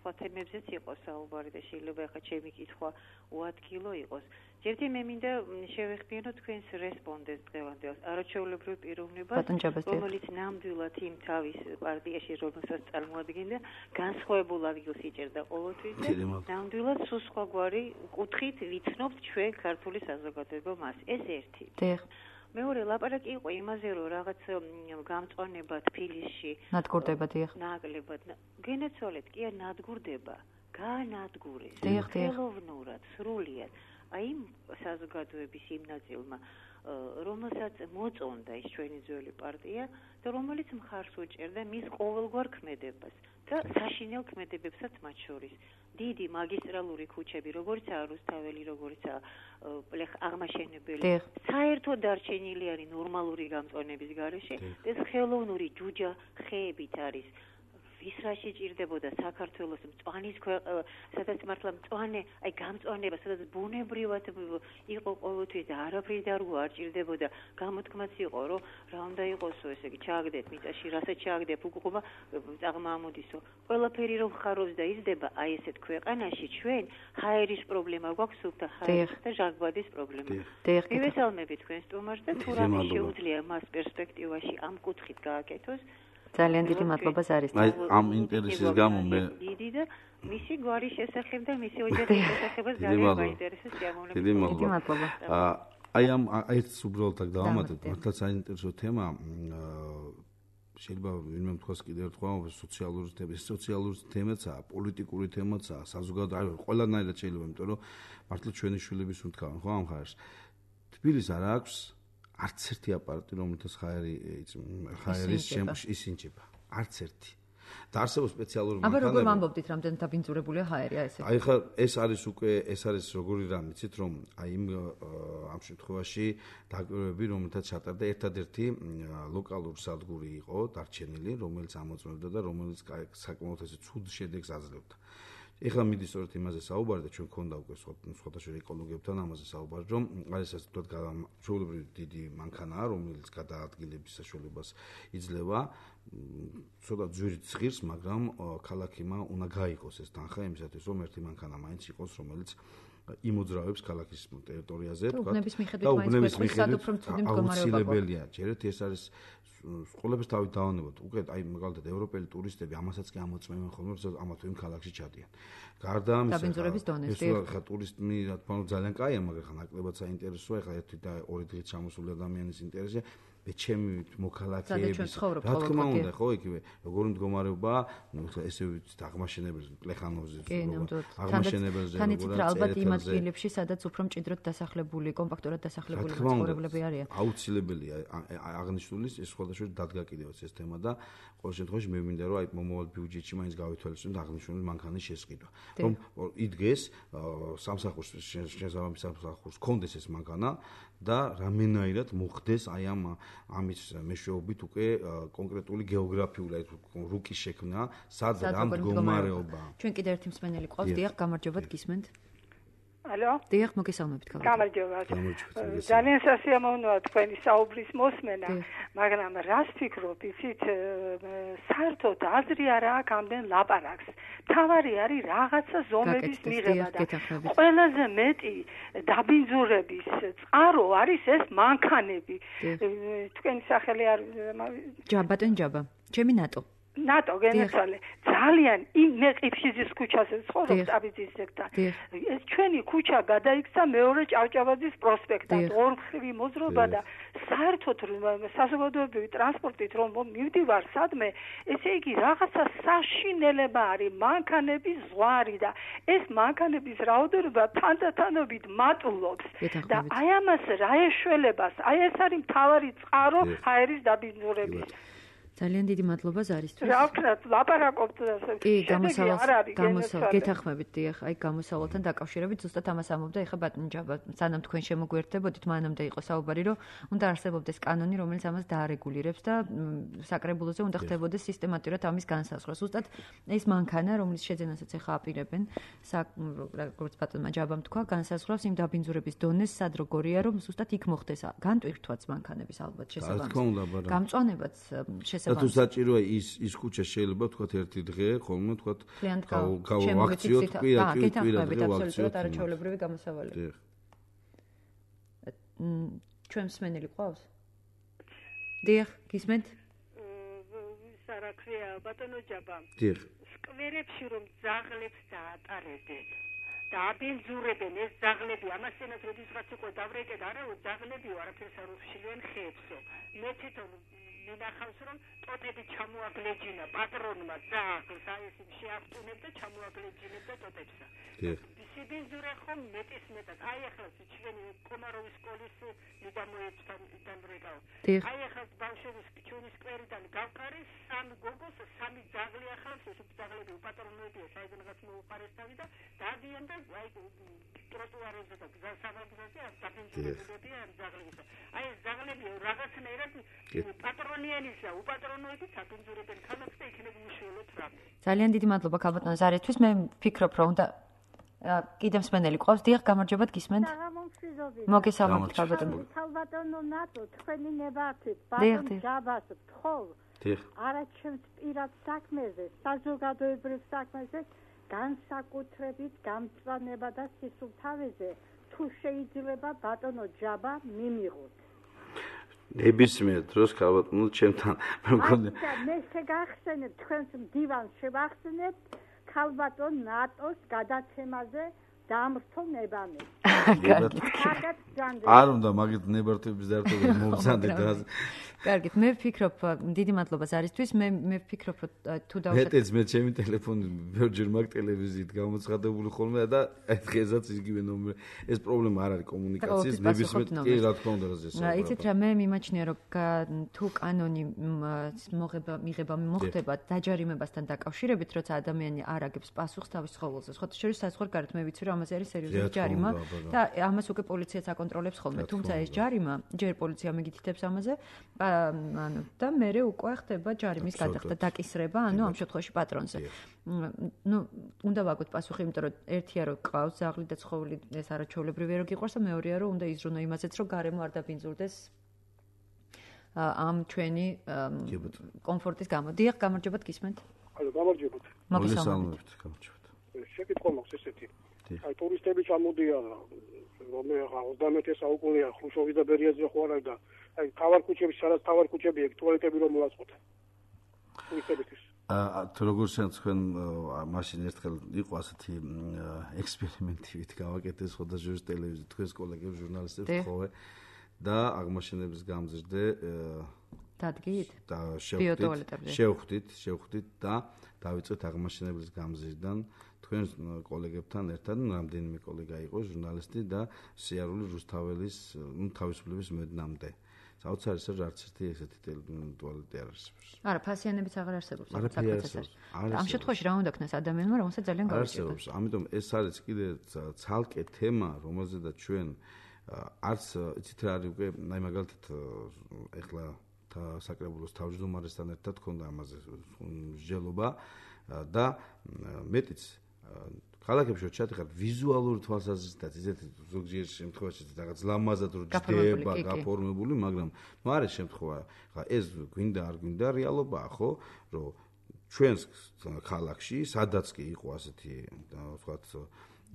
სხვა თემებზეც იყოს საუბარი და შეიძლება ახლა ჩემი კითხვა უადგილო იყოს. ჯერჯერ მე მინდა შევეხმიანო თქვენს რესპონდენტს დღევანდელს არაჩვეულებრივ პიროვნებას, რომელიც ნამდვილად იმ თავის პარტიაში, რომელსაც წარმოადგენდა, განსხვავებულ ადგილს იჭერდა ყოველთვის და ნამდვილად სულ სხვაგვარი კუთხით ვიცნობთ ჩვენ ქართული საზოგადოება მას. ეს ერთი. მეორე ლაპარაკი იყო იმაზე, რომ რაღაც გამწვანება თბილისში ნადგურდება, დიახ. ნაკლებად. გენაცვალეთ, კი არ ნადგურდება, გაანადგურეს. ხელოვნურად, სრულიად. აი იმ საზოგადოების იმ ნაწილმა, რომელსაც მოწონდა ის ჩვენი ძველი პარტია და რომელიც მხარს უჭერდა მის ყოველგვარ ქმედებას და საშინელ ქმედებებსაც მათ შორის. დიდი მაგისტრალური ქუჩები, როგორიცაა რუსთაველი, როგორიცაა პლეხ აღმაშენებელი, საერთოდ დარჩენილი არის ნორმალური გამწვანების გარეშე, ეს ხელოვნური ჯუჯა ხეებით არის. ვის რაში ჭირდებოდა საქართველოს მწვანის სადაც მართლა მწვანე, აი გამწვანება, სადაც ბუნებრივად იყო ყოველთვის და არაფრის დარგვა არ ჭირდებოდა. გამოთქმაც იყო, რომ რა უნდა იყოსო, ესე იგი, ჩააგდეთ მიწაში, რასაც ჩააგდებ, უკუღობა წაღმა ამოდისო. ყველაფერი რომ ხარობს და იზრდება, აი ესეთ ქვეყანაში ჩვენ ჰაერის პრობლემა გვაქვს, სუფთა ჰაერის და ჟანგბადის პრობლემა. მივესალმები თქვენ სტუმარს და თუ რამე შეუძლია მას პერსპექტივაში ამ კუთხით გააკეთოს. ძალიან დიდი მადლობა ზარის. აი ამ ინტერესის გამო მე დიდი და მისი გვარის შესახებ და მისი ოჯახის შესახებაც ძალიან მაინტერესებს სიამოვნებით. დიდი მადლობა. აი ამ ეს უბრალოდ აქ დავამატებ, მართლა საინტერესო თემა. შეიძლება ვინმე თქვას კიდევ ერთხელ სოციალური თემა, სოციალური თემაცაა, პოლიტიკური თემაცაა, საზოგადოებრივი, ყველანაირად შეიძლება, იმიტომ რომ მართლა ჩვენი შვილების უთქავენ ხო ამ ხარს. თბილისს არ აქვს არც ერთი აპარატი, რომელთაც ხაერი ხაერის ისინჯება. არც ერთი. და არსებობს სპეციალური მანქანები. აბა როგორ ვამბობდით, რამდენი დაბინძურებულია ჰაერია ესე? აი ხა ეს არის უკვე ეს არის როგორი რამ იცით, რომ აი იმ ამ შემთხვევაში დაკვირვები, რომელთაც ჩატარდა ერთადერთი ლოკალური სადგური იყო დარჩენილი, რომელიც ამოწმებდა და რომელიც საკმაოდ ესე ცუდ შედეგს აძლევდა. ეხლა მიდის სწორედ იმაზე საუბარი და ჩვენ გქონდა უკვე სხვადასხვა ეკოლოგებთან ამაზე საუბარი, რომ არის ასე თქვა ჩვეულებრივი დიდი მანქანაა, რომელიც გადაადგილების საშუალებას იძლევა. ცოტა ძვირით ცხირს, მაგრამ ქალაქიმა უნდა გაიყოს ეს თანხა იმისათვის, რომ ერთი მანქანა მაინც იყოს, რომელიც იმოძრავებს ქალაქის ტერიტორიაზე, თქვა. უბნების მიხედვით მაინც სადუფრო მცუდი მდგომარეობა. აუცილებელია, ჯერეთ ეს არის სკოლების თავით დავანებოთ. უკვე აი მაგალითად ევროპელი ტურისტები ამასაც კი ამოწმებენ ხოლმე, რომ ამა თუ იმ ქალაქში ჩადიან. გარდა ამისა, დაბინძურების დონეს, ხა ტურისტი რა თქმა უნდა ძალიან კაია, მაგრამ ხა ნაკლებად საინტერესოა, ხა ერთი და ორი დღით ჩამოსული ადამიანის ინტერესია. მე ჩემი მოქალაქეების რა თქმა უნდა, ხო, იგივე, როგორი მდგომარეობა, ნუ ხა ესე ვიცით, აღმაშენებელს, პლეხანოვზე, აღმაშენებელზე, თან იცით რა ალბათ იმ ადგილებში, სადაც უფრო მჭიდროდ დასახლებული, კომპაქტურად დასახლებული მაცხოვრებლები არიან. აუცილებელია აღნიშნული ეს სხვადასხვა დადგა კიდევაც ეს თემა და ყოველ შემთხვევაში მე მინდა რომ აი მომავალ ბიუჯეტში მაინც გავითვალისწინოთ აღნიშნული მანქანის შესყიდვა. რომ იდგეს სამსახურს შესაბამის სამსახურს კონდეს ეს მანქანა და რამენაირად მოხდეს აი ამ ამის მეშვეობით უკვე კონკრეტული გეოგრაფიული რუკის შექმნა, სად რა მდგომარეობა. ჩვენ კიდევ ერთი მსმენელი ყავს, დიახ, გამარჯობათ, გისმენთ. ალო? დიახ, მოგესალმებით ქალბატონო. გამარჯობა. ძალიან სასიამოვნოა თქვენი საუბრის მოსმენა, მაგრამ რას ფიქრობ, იცით, საერთოდ აზრი არა აქვს ამდენ ლაპარაკს. თავარი არის რაღაცა ზომების მიღება და ყველაზე მეტი დაბინძურების წყარო არის ეს მანქანები. თქვენი სახელი არ ჯაბატონ ჯაბა. ჩემი ნატო. ნატო გენაცვალე ძალიან მე ყიფშიძის ქუჩაზე ცხოვრობ ტაბიძის ზეგთან ეს ჩვენი ქუჩა გადაიქცა მეორე ჭავჭავაძის პროსპექტად ორმხრივი მოძრობა და საერთოდ საზოგადოებრივი ტრანსპორტით რომ მივდივარ სადმე ესე იგი რაღაცა საშინელება არის მანქანების ზღვარი და ეს მანქანების რაოდენობა თანდათანობით მატულობს და აი ამას რა ეშველებას აი ეს არის მთავარი წყარო ჰაერის დაბინძურების ძალიან დიდი მადლობა ზარისთვის. რა ვქნათ, ლაპარაკობთ ასე. კი, გამოსავალს, გამოსავალს, გეთანხმებით, დიახ, აი გამოსავალთან დაკავშირებით ზუსტად ამას ამობდა ეხა ბატონი ჯაბა. სანამ თქვენ შემოგვიერთდებოდით, მანამდე იყო საუბარი, რომ უნდა არსებობდეს კანონი, რომელიც ამას დაარეგულირებს და საკრებულოზე უნდა ხდებოდეს სისტემატურად ამის განსაზღვრა. ზუსტად ეს მანქანა, რომელიც შეძენასაც ეხა აპირებენ, როგორც ბატონმა ჯაბამ თქვა, განსაზღვრავს იმ დაბინძურების დონეს, სად როგორია, რომ ზუსტად იქ მოხდეს განტვირთვაც მანქანების ალბათ შესაბამისად. გამწვანებაც შესაბამისად და თუ საჭიროა ის ის ქუჩა შეიძლება თქვათ ერთი დღე ხოლმე თქვათ გავაქციოთ კვირა კვირა დღე ვაქციოთ არაჩვეულებრივი გამოსავალი. ჩვენ მსმენელი ყავს? დიახ, გისმენთ? რა ქვია ბატონო ჯაბა. დიახ. სკვერებში რომ ძაღლებს დაატარებენ და აბინძურებენ ეს ძაღლები ამასენად როდესაც იყო დავრეკეთ არა ძაღლებიო არაფერს არ უშლიან ხეებსო. მე თვითონ მინახავს რომ ტოტები ჩამოაგლეჯინა პატრონმა ძაღლს აი ეს შეახტუნებდა ჩამოაგლეჯინებდა ტოტებსა. სიბინძურე ხომ მეტის მეტად აი ახლა ჩვენი კომაროვის სკოლის მიდამოებთან დამრეკავ. აი ახლა ბავშვების ჩვენი სკვერიდან გავკარი სამი გოგოს სამი ძაღლი ახალს ეს ძაღლები უპატრონოებია საიდანაც მოუყარესთავი და დადიან და აი ტროტუარებზე და გზასავაგზაზე დაბინძურებებია ამ ძაღლებისა. აი ეს ძაღლები რაღაცნაირად პატრონიანისა უპატრონოებით დაბინძურებენ ქალაქს და იქნებ უშუალოდ რამე. ძალიან დიდი მადლობა ქალბატონო ზარისთვის. მე ვფიქრობ რომ უნდა კიდევ მსმენელი ყავს. დიახ, გამარჯობათ, გისმენთ? მოგესალმებით ქალბატონო. ქალბატონო ნატო თქვენი ნებართით ბატონ ჯაბას თხოვ. არა ჩემს პირად საქმეზე, საზოგადოებრივ საქმეზე განსაკუთრებით გამწვანება და სისუფთავეზე თუ შეიძლება ბატონო ჯაბა მიმიღოთ. ნებისმიერ დროს ქალბატონო ჩემთან მე მგონი მე შეგახსენებ თქვენს მდივანს შევახსენებ ქალბატონ ნატოს გადაცემაზე დამრთო ნებამე. არ უნდა მაგით ნებართვების დარტყმა მომზადდეთ რა. კარგით, მე ვფიქრობ, დიდი მადლობა ზარისთვის. მე მე ვფიქრობ, თუ დავუშვათ. მეტიც მე ჩემი ტელეფონი ბევრჯერ მაგ ტელევიზიით გამოცხადებული ხოლმე და აი დღესაც იგივე ნომერი. ეს პრობლემა არ არის კომუნიკაციის, ნებისმიერ კი რა თქმა უნდა რა ზესა. იცით რა, მე მიმაჩნია რომ თუ კანონი მოღება მიღება მოხდება დაჯარიმებასთან დაკავშირებით, როცა ადამიანი არ აგებს პასუხს თავის ცხოველზე. სხვა შორის საზღვარგარეთ მე ვიცი რომ ამაზე არის სერიოზული ჯარიმა და ამას უკვე პოლიციაც აკონტროლებს ხოლმე. თუმცა ეს ჯარიმა ჯერ პოლიცია მიგითითებს ამაზე ანუ და მერე უკვე ხდება ჯარიმის გადახდა დაკისრება, ანუ ამ შემთხვევაში პატრონზე. ნუ უნდა ვაგოთ პასუხი, იმიტომ რომ ერთია რომ ყავს ზაღლი და ცხოველი ეს არაჩვეულებრივია რომ გიყვარს და მეორეა რომ უნდა იზრუნო იმაზეც რომ გარემო არ დაბინძურდეს ამ ჩვენი კომფორტის გამო. დიახ, გამარჯობათ, გისმენთ? ალო, გამარჯობათ. მოგესალმებით, გამარჯობათ. შეკითხვა მაქვს ესეთი. აი ტურისტები ჩამოდიან რომ ოცდამეტე საუკუნეა ხრუშოვი და ბერიაძე ხო არა და აი თავარ ქუჩებში სადაც თავარ ქუჩები ეგ ტუალეტები რომ მოაწყოთ ტურისტებისთვის აა თუ როგორც თქვენ მაშინ ერთხელ იყო ასეთი ექსპერიმენტივით გავაკეთეს ხოდა ჟურნალის ტელევიზია თქვენს კოლეგებს ჟურნალისტებს ხოლმე და აღმოჩენების გამზრდე დადგით და შევხვდით შევხვდით და დავიწყეთ აღმოჩენების გამზრდიდან თქვენ კოლეგებთან ერთად რამდენიმე კოლეგა იყო ჟურნალისტი და სიარული რუსთაველის ნუ თავისუფლების მედნამდე. საოცარი სერ არც ერთი ესეთი ტუალეტი არ არსებობს. არა, ფასიანებიც აღარ არსებობს. ამ შემთხვევაში რა უნდა ქნას ადამიანმა, რომელსაც ძალიან გაიჭიროს. ამიტომ ეს არის კიდე ცალკე თემა, რომელზედაც ჩვენ არც იცით რა არის უკვე აი მაგალითად ეხლა საკრებულოს თავმჯდომარესთან ერთად ქონდა ამაზე მსჯელობა და მეტიც ქალაქებში როჩათი ხარ ვიზუალური თვალსაზრისითაც ისეთი ზოგჯერ შემთხვევაში რაღაც ლამაზად რო ჯდება გაფორმებული, მაგრამ ნუ არის შემთხვევა, ხა ეს გვინდა არ გვინდა რეალობაა, ხო, რომ ჩვენს ქალაქში სადაც კი იყო ასეთი ვთქვათ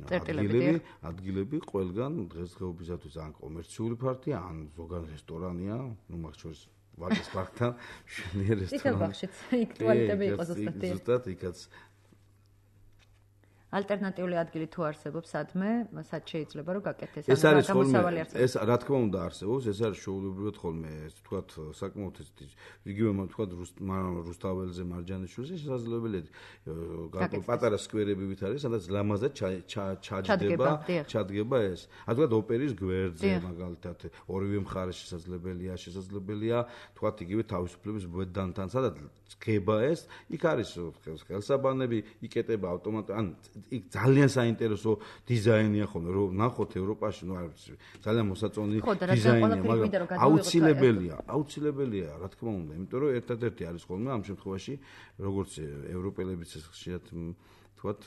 ადგილები, ადგილები ყველგან დღესდღეობისათვის ან კომერციული ფართია, ან ზოგადად რესტორანია, ნუ მაგ შორის ვაკის პარკთან შვენიერ რესტორანი. ისევ ბახშიც, იქ ტუალეტები იყო ზუსტად. ზუსტად იქაც ალტერნატიული ადგილი თუ არსებობს სადმე, სად შეიძლება რომ გაკეთდეს ეს არის ხოლმე ეს რა თქმა უნდა არსებობს, ეს არის შეუულებრივად ხოლმე, ვთქვათ, საკმაოდ იგივე ვთქვათ რუსთაველზე მარჯანიშვილზე შესაძლებელია პატარა სკვერები არის, სადაც ლამაზად ჩაჯდება, ჩადგება ეს. ან ვთქვათ ოპერის გვერდზე მაგალითად ორივე მხარე შესაძლებელია, შესაძლებელია ვთქვათ იგივე თავისუფლების ბუდანთან, სადაც გება ეს, იქ არის ხელსაბანები, იკეტება ავტომატ ან იქ ძალიან საინტერესო დიზაინია ხოლმე, რომ ნახოთ ევროპაში, ნუ არის ძალიან მოსაწონი დიზაინია, მაგრამ აუცილებელია, აუცილებელია, რა თქმა უნდა, იმიტომ რომ ერთადერთი არის ხოლმე ამ შემთხვევაში, როგორც ევროპელებიც ხშირად თქვათ,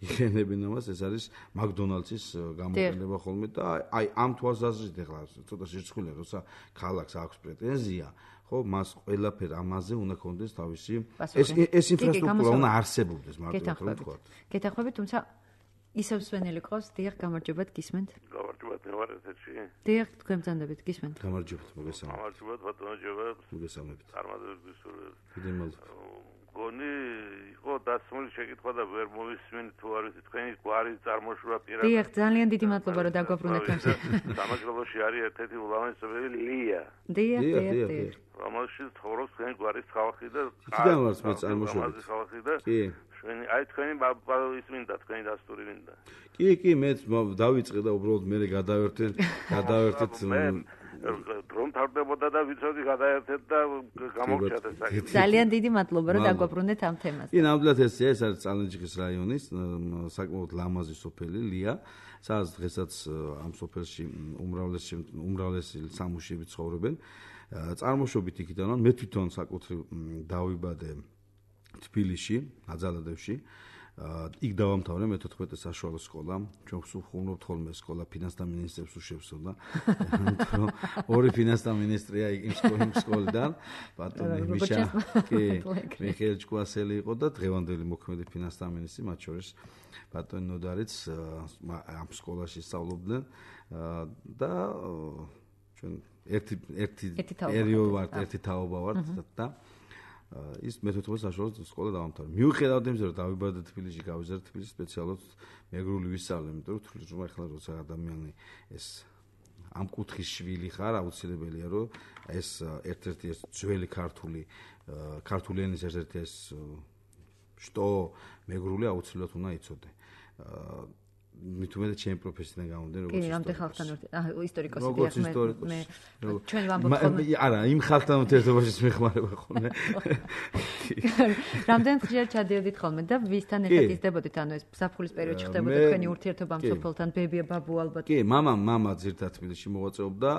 იყენებენ ამას, ეს არის მაკდონალდსის გამოყენება ხოლმე და აი ამ თვალსაზრისით ახლა ცოტა შერწყმულია, როცა ქალაქს აქვს პრეტენზია ხო მას ყველაფერ ამაზე უნდა კონდეს თავისი ეს ეს ინფრასტრუქტურა უნდა არსებობდეს მაგრამ რომ თქვა. გეთახმებით, თუმცა ისევ სვენელი ყავს, დიახ, გამარჯობათ, გისმენთ. გამარჯობათ, მე ვარ ეთერში. დიახ, თქვენ ბრძანდებით, გისმენთ. გამარჯობათ, მოგესალმებით. გამარჯობათ, ბატონო ჯობათ. მოგესალმებით. წარმატებებს გისურვებთ. დიდი მადლობა. გონი იყო დასმული შეკითხვა და ვერ მოვისმენ თუ არის თქვენი გვარი წარმოშობა პირად. დიახ, ძალიან დიდი მადლობა რომ დაგვაბრუნეთ ამაზე. სამაგრელოში არის ერთ-ერთი ულამაზესი სოფელი ლია. დიახ, დიახ, დიახ. რომელშიც ცხოვრობს თქვენი გვარის ხალხი და იქიდან ვართ მე წარმოშობა. კი. ჩვენი აი თქვენი ის მინდა, თქვენი დასტური მინდა. კი, კი, მე დავიწყე და უბრალოდ მე გადავერთე, გადავერთეთ რომ თავდებოდა და ვიცოდი გადაერთეთ და გამოგჩათ ეს საკითხი. ძალიან დიდი მადლობა რომ დაგვაბრუნეთ ამ თემაზე. კი, ნამდვილად ესეა, ეს არის წალენჯიხის რაიონის საკმაოდ ლამაზი სოფელი ლია, სადაც დღესაც ამ სოფელში უმრავლესი უმრავლესი სამუშიები ცხოვრობენ. წარმოშობით იქიდან მე თვითონ საკუთრივ დავიბადე თბილისში, აძალადევში. იქ დავამთავრე მეთოთხმეტე საშუალო სკოლა. ჩვენ ვხუნობთ ხოლმე სკოლა ფინანსთა მინისტრებს უშევსო და ანუ ორი ფინანსთა მინისტრია იმ სკოლიდან, ბატონი მიშა, კი, მიხეილ ჭკვასელი იყო და დღევანდელი მოქმედი ფინანსთა მინისტრი, მათ შორის ბატონი ნოდარიც ამ სკოლაში სწავლობდნენ და ჩვენ ერთი ერთი პერიოდი ვართ, ერთი თაობა ვართ და ის მეთოთხმეტე საშუალო სკოლა დავამთავრე. მიუხედავად იმისა, რომ დავიბადე თბილისში, გავიზარდე თბილისში სპეციალურად მეგრული ვისწავლე, იმიტომ რომ თვითონ ახლა როცა ადამიანი ეს ამ კუთხის შვილი ხარ, აუცილებელია რომ ეს ერთ-ერთი ეს ძველი ქართული ქართული ენის ერთ-ერთი ეს შტო მეგრული აუცილებლად უნდა იცოდე. მithumedet ჩემი პროფესიიდან გამომდინარე როგორც ისტორიკოსი. კი, რამდენ ხალხთან ისტორიკოსი დიახ მე მე ჩვენი ვამბობ ხოლმე. არა, იმ ხალხთან ურთიერთობაშიც მეხმარება ხოლმე. რამდენ ხშირად ჩადიოდით ხოლმე და ვისთან ერთად იზრდებოდით, ანუ ეს საფულის პერიოდში ხდებოდა თქვენი ურთიერთობა ამ სოფელთან, ბებია, ბაბუ ალბათ. კი, მამა, მამა ძირთად თბილისში მოღვაწეობდა.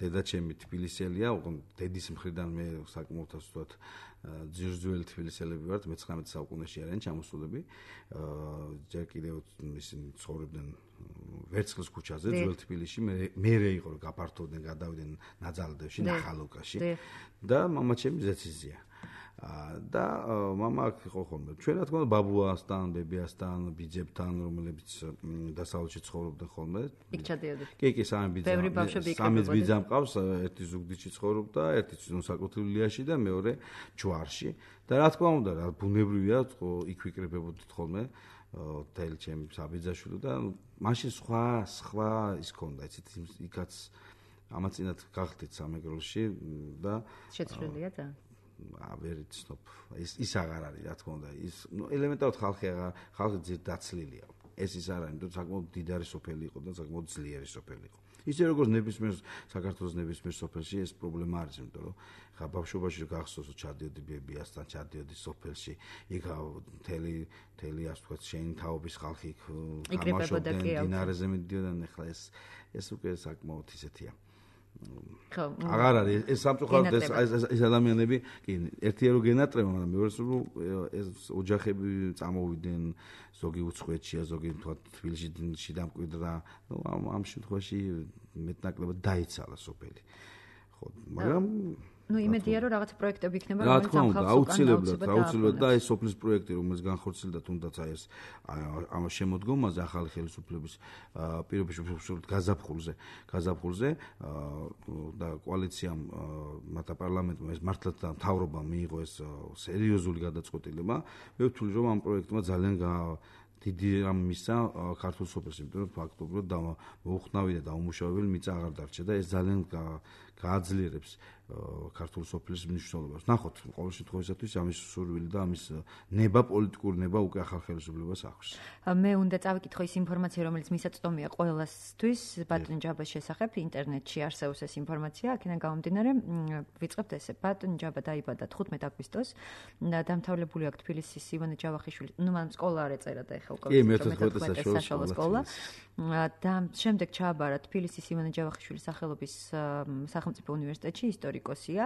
დედა ჩემი თბილისელია, უყო დედის მხრიდან მე საკმაოდ ასოთ ძირძველი თბილისელები ვართ, მეცხრამეტე საუკუნეში არიან ჩამოსულები. ჯერ კიდევ ისინი ცხოვრობდნენ ვერცხლის ქუჩაზე, ძველ თბილისში. მე მერე იყო რომ გაფართოვდნენ, გადავიდნენ ნაძალადევში, ნახალოვკაში და მამა ჩემი ზეციზია. და მამა აქ იყო ხოლმე. ჩვენ რა თქმა უნდა ბაბუასთან, ბებიასთან, ბიძებთან, რომლებიც დასავლეთში ცხოვრობდნენ ხოლმე. იქ ჩადიოდით. კი, კი, სამი ბიძა. სამი ბიძა მყავს, ერთი ზუგდიდში ცხოვრობდა, ერთი საკუთრივ ლიაში და მეორე ჯვარში. და რა თქმა უნდა, რა ბუნებრივია, იქ ვიკრიბებოდით ხოლმე. თელ ჩემი საბიძაშვილი და მაშინ სხვა სხვა ის ქონდა, იცით, იქაც ამაცინად გახდით სამეგრელოში და შეცვლილია და ვერ იცნობ ის ის აღარ არის რა თქმა უნდა ის ნუ ელემენტარულად ხალხი აღარ ხალხი ძირ დაცლილია ეს ის არ არის იმიტომ საკმაოდ დიდარი სოფელი იყო და საკმაოდ ძლიერი სოფელი იყო ისე როგორც ნებისმიერ საქართველოს ნებისმიერ სოფელში ეს პრობლემა არის იმიტომ რომ ხა ბავშვობაში გახსოვს ჩადიოდი ბებიასთან ჩადიოდი სოფელში იქ მთელი მთელი ასე ვთქვათ შენი თაობის ხალხი იქ გამაშობდნენ დინარეზე მიდიოდნენ ახლა ეს ეს უკვე საკმაოდ ისეთია ხო აღარ არის ეს სამწუხაროდ ეს ეს ადამიანები კი ერთია რომ გენატრება მაგრამ მეორე რომ ეს ოჯახები წამოვიდნენ ზოგი უცხოეთშია ზოგი თქვა თბილისში დამკვიდრა ნუ ამ შემთხვევაში მეტნაკლებად დაიცალა სოფელი ხო მაგრამ ну იმედია რომ რაღაც პროექტები იქნება რომელიც ამ ხალხს აუცილებლად აუცილებლად და ეს სოფლის პროექტი რომელიც განხორციელდა თუნდაც აი ეს ამ შემოდგომაზე ახალი ხელისუფლების პირობებში გაზაფხულზე გაზაფხულზე და კოალიციამ მათა პარლამენტმა ეს მართლაც და მთავრობამ მიიღო ეს სერიოზული გადაწყვეტილება მე ვთვლი რომ ამ პროექტმა ძალიან დიდი რამ მისცა ქართულ სოფელს იმიტომ რომ ფაქტობრივად მოუხნავი და დაუმუშავებელი მიწა აღარ დარჩა და ეს ძალიან გააძლიერებს ქართულ სოფლის მნიშვნელობას. ნახოთ, ყოველ შემთხვევაში ამის სურვილი და ამის ნება პოლიტიკური ნება უკვე ახალ ხელისუფლებას აქვს. მე უნდა წავიკითხო ის ინფორმაცია, რომელიც მისაწვდომია ყველასთვის ბატონ ჯაბას შესახებ, ინტერნეტში არსებობს ეს ინფორმაცია, აქედან გამომდინარე, ვიწყებთ ესე. ბატონ ჯაბა დაიბადა თხუთმეტ აგვისტოს, დამთავრებული აქვს თბილისის ივანე ჯავახიშვილი, ნუ მან სკოლა არ ეწერა და ეხლა უკვე მეთერთმეტე საშუალო სკოლა. და შემდეგ ჩააბარა თბილისის ივანე ჯავახიშვილის სახელობის სახელმწიფო უნივერსიტეტში ისტორიკოსია,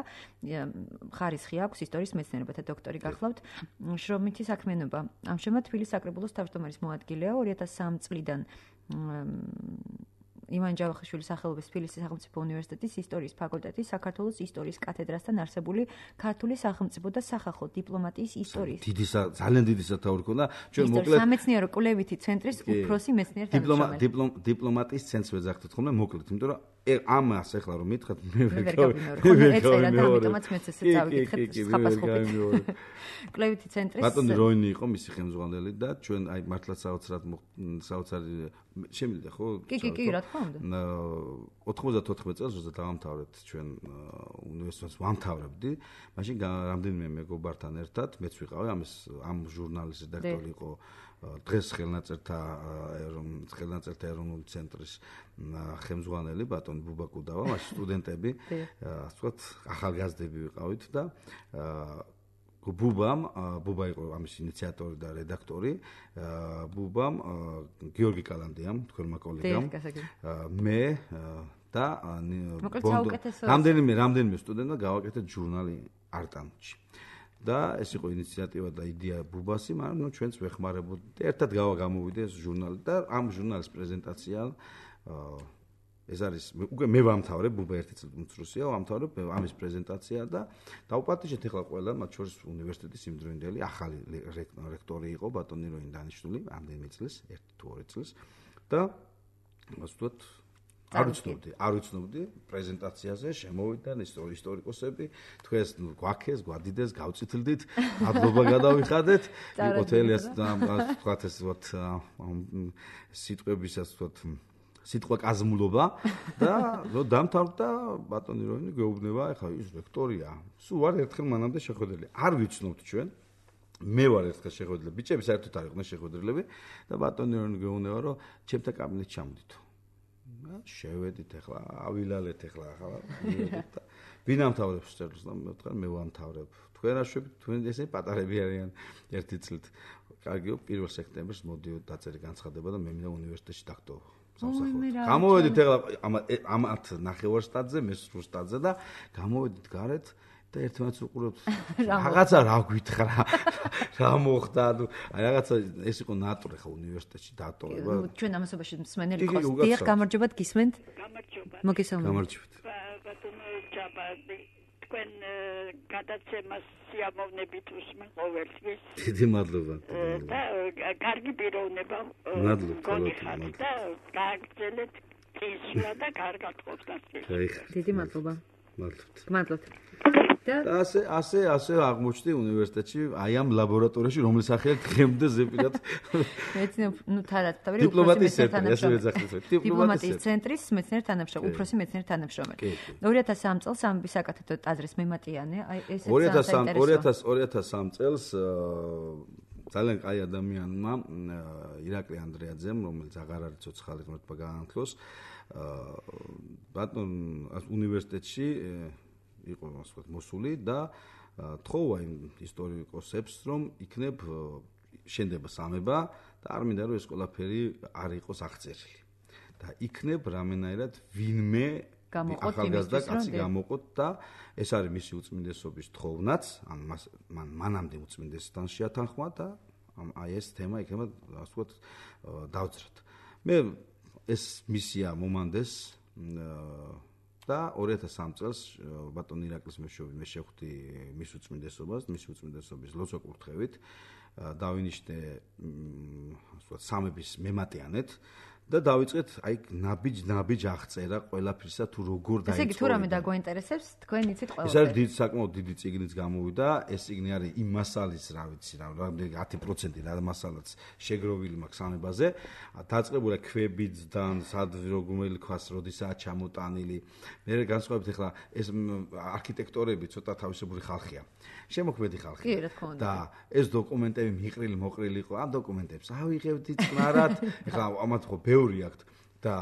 ხარისხი აქვს ისტორიის მეცნიერებათა დოქტორი გახლავთ. შრომითი საქმიანობა. ამჟამად თბილისის საკრებულოს თავმჯდომარის მოადგილეა ორი ათას სამი წლიდან ივანე ჯავახიშვილის სახელობის თბილისის სახელმწიფო უნივერსიტეტის ისტორიის ფაკულტეტის საქართველოს ისტორიის კათედრასთან არსებული ქართული სახელმწიფო და სახალხო დიპლომატიის ისტორიის. დიდი ძალიან დიდი სათაური ქონდა. ჩვენ მოკლედ სამეცნიერო კვლევითი ცენტრის უფროსი მეცნიერ თანამშრომელი. დიპლომატიის ცენტრს ვეძახთ თქო, მოკლედ, იმიტომ რომ ამას ახლა რომ მითხრათ მე ვერ გავიმეორე. ეწერა და ამიტომაც მეც ესე წავიკითხეთ ხაფასხობით. კვლევითი ცენტრის ბატონი როინი იყო მისი ხელმძღვანელი და ჩვენ აი მართლაც საოცრად საოცარი შემიძლია ხო? კი კი კი რა თქმა უნდა. ოთხმოცდათოთხმეტ წელს როცა დავამთავრეთ ჩვენ უნივერსიტეტს ვამთავრებდი, მაშინ რამდენიმე მეგობართან ერთად მეც ვიყავი ამის ამ ჟურნალის რედაქტორი იყო დღეს ხელნაწერთა ხელნაწერთა ეროვნული ცენტრის ხელმძღვანელი ბატონი ბუბა კუდავა, მაშინ სტუდენტები, ასე ვთქვათ, ახალგაზრდები ვიყავით და ბუბამ, ბუბა იყო ამის ინიციატორი და რედაქტორი, ბუბამ, გიორგი კალანდიამ, თქვენმა კოლეგამ, მე და რამდენიმე რამდენიმე სტუდენტმა გავაკეთეთ ჟურნალი არტანში. და ეს იყო ინიციატივა და იდეა ბუბასი, მაგრამ ნუ ჩვენც ვეხმარებოდით. ერთად გავა გამოვიდა ეს ჟურნალი და ამ ჟურნალის პრეზენტაცია ეს არის უკვე მე ვამთავრებ, ბუბა ერთი წელი უმცროსია, ვამთავრებ ამის პრეზენტაცია და დავუპატიჟეთ ახლა ყველა, მათ შორის უნივერსიტეტის იმდროინდელი ახალი რექტორი იყო ბატონი როინ დანიშნული, ამდენიმე წელს, ერთი თუ ორი წელს და ასე ვთქვათ არ ვიცნობდი, არ ვიცნობდი პრეზენტაციაზე შემოვიდნენ ისტორიკოსები, თქვენს გვაქეს, გვადიდეს, გავწითლდით, მადლობა გადავიხადეთ. იყო თელიას და თქვათ ეს ვთქვათ სიტყვების ასე ვთქვათ სიტყვა კაზმულობა და რო დამთავრდა ბატონი როინი გეუბნება, ეხლა ის რექტორია. სულ არ ერთხელ მანამდე შეხვედრილი. არ ვიცნობთ ჩვენ. მე ვარ ერთხელ შეხვედრილი. ბიჭები საერთოდ არ იყვნენ შეხვედრილები და ბატონი როინი გეუბნება, რომ ჩემთან კაბინეტში ჩამოდითო. შევედით ახლა, ავილალეთ ახლა ახლა. ვინ ამთავრებს წერილს და მე ვთქვა მე ვამთავრებ. თქვენ აშვებით, თქვენ ესე პატარები არიან ერთი წლით. კარგიო, პირველ სექტემბერს მოდიო დაწერე განცხადება და მე მინდა უნივერსიტეტში დაგტოვო. გამოვედით ახლა ამათ ნახევარ სტადზე, მე სრულ სტადზე და გამოვედით გარეთ და ერთმანეთს უყურებთ. რაღაცა რა გვითხრა, რა მოხდა, ანუ რაღაცა ეს იყო ნატური ხო უნივერსიტეტში დატოვება. ჩვენ ამასობაში მსმენელი ყავს. დიახ, გამარჯობათ, გისმენთ? გამარჯობა. მოგესალმებით. გამარჯობათ. ბატონო ჯაბა, თქვენ გადაცემას სიამოვნებით უსმენ ყოველთვის. დიდი მადლობა. და კარგი პიროვნება გონიხართ და გააგრძელეთ წესვა და კარგად ყოფნას. დიდი მადლობა. მადლობთ. მადლობთ. და ასე ასე ასე აღმოჩნდი უნივერსიტეტში, აი ამ ლაბორატორიაში, რომლის სახელით დღემდე ზეპირად მეცნიერ ნუ თარად თავი დიპლომატიის ცენტრი, ასე ვეძახდით. დიპლომატიის ცენტრის მეცნიერ თანამშრომელი, უფროსი მეცნიერ თანამშრომელი. ორი ათას სამი წელს ამბის საკათედრო ტაძრის მემატიანე, აი ესეც ორი ათას სამი წელს ძალიან კაი ადამიანმა ირაკლი ანდრეაძემ, რომელიც აღარ არის ცოცხალი, მართლა გაანთლოს, ბატონ უნივერსიტეტში იყო ასე ვთქვათ მოსული და თხოვა იმ ისტორიკოსებს რომ იქნებ შენდება სამება და არ მინდა რომ ეს ყველაფერი არ იყოს აღწერილი და იქნებ რამენაირად ვინმე გამოყოთ ახალგაზრდა კაცი გამოყოთ და ეს არის მისი უწმინდესობის თხოვნაც, ან მან მანამდე უწმინდესთან შეათანხმა და აი ეს თემა იქნება ასე ვთქვათ დავძრათ. მე ეს მისია მომანდეს და ორი ათას სამი წელს ბატონ ირაკლის მეშვეობით მე შევხვდი მის უწმინდესობას, მის უწმინდესობის ლოცვა კურთხევით დავინიშნე ასე ვთქვათ სამების მემატიანეთ და დავიწყეთ აი ნაბიჯ-ნაბიჯ აღწერა ყველაფრისა თუ როგორ დაიწყო. ესე იგი თუ რამე დაგვაინტერესებს, თქვენ იცით ყველაფერი. ეს არის დიდი საკმაოდ დიდი წიგნიც გამოვიდა, ეს წიგნი არის იმ მასალის, რა ვიცი, რა რამდენი ათი პროცენტი რა მასალაც შეგროვილი მაქვს სამებაზე, დაწყებულია ქვებიდან, სად რომელი ქვას როდისაა ჩამოტანილი. მე განსხვავებით ახლა ეს არქიტექტორები ცოტა თავისებური ხალხია. შემოქმედი ხალხი. კი, რა თქმა უნდა. და ეს დოკუმენტები მიყრილი მოყრილი იყო, ამ დოკუმენტებს ავიღებდი წყნარად, ახლა ამათ ხო ბევრი აქვთ და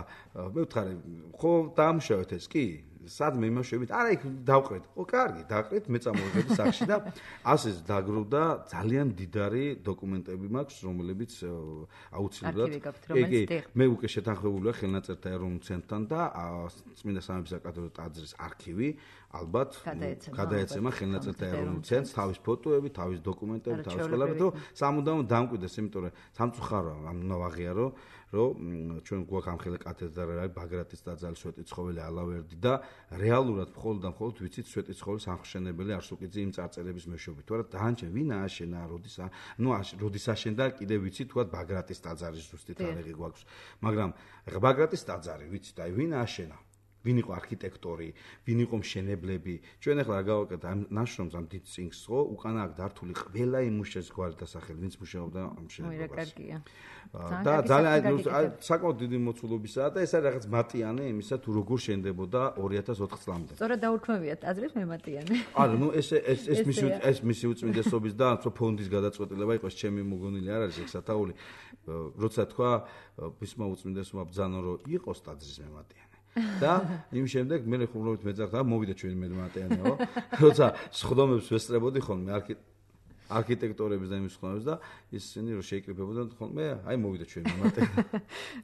მე ვთხარი, ხო დაამშავეთ ეს კი? სად მე იმაშევით? არა, იქ დავყრეთ. ხო, კარგი, დაყრეთ, მე წამოვიდები სახში და ასე დაგროვდა ძალიან დიდარი დოკუმენტები მაქვს, რომლებიც აუცილებლად მე უკვე შეთანხმებული ვარ ხელნაწერთა ეროვნულ ცენტრთან და წმინდა სამების საკათედრო ტაძრის არქივი ალბათ გადაეცემა ხელნაწერთა ეროვნულ ცენტრს თავის ფოტოები, თავის დოკუმენტები, თავის ყველაფერი, რომ სამუდამოდ დამკვიდრდეს, იმიტომ რომ სამწუხაროა, ამ უნდა ვაღიარო, რომ ჩვენ გვაქვს ამხელა კათედრა, ბაგრატის ტაძარი, სვეტიცხოველი ალავერდი და რეალურად მხოლოდ და მხოლოდ ვიცით სვეტიცხოვლის ამხშენებელი არსუკიძე იმ წარწერების მეშვეობით. თორე დაანჩენ ვინ ააშენა, როდის ნუ როდის აშენდა, კიდევ ვიცით თქვა ბაგრატის ტაძარის ზუსტი თარიღი გვაქვს. მაგრამ ბაგრატის ტაძარი ვიცით, აი ვინ ააშენა? ვინ იყო არქიტექტორი, ვინ იყო მშენებლები. ჩვენ ახლა რა გავაკეთეთ ამ ნაშრომს ამ დიდ წიგნს, ხო, უკანა აქ დართული ყველა იმ მუშეს გვარი დასახელი, ვინც მუშაობდა ამ მშენებლობას. და ძალიან საკმაოდ დიდი მოცულობისაა და ეს არის რაღაც მატიანე იმისა თუ როგორ შენდებოდა ორი ათას ოთხ წლამდე. სწორად დაურქმევია ტაძრის მემატიანე. არა, ნუ ეს ეს ეს მისი ეს მისი უწმინდესობის და ფონდის გადაწყვეტილება იყო, ჩემი მოგონილი არ არის ეგ სათაური. როცა თქვა ბისმა უწმინდესობა ბრძანო რომ იყოს ტაძრის მემატიანე. და იმ შემდეგ მე ხუმრობით მეძახდა, მოვიდა ჩვენი მემატიანეო. როცა სხდომებს ვესწრებოდი ხოლმე არქიტექტორების და იმის ხდომებს და ისინი რომ შეიკრიბებოდნენ ხოლმე, აი მოვიდა ჩვენი მემატიანე.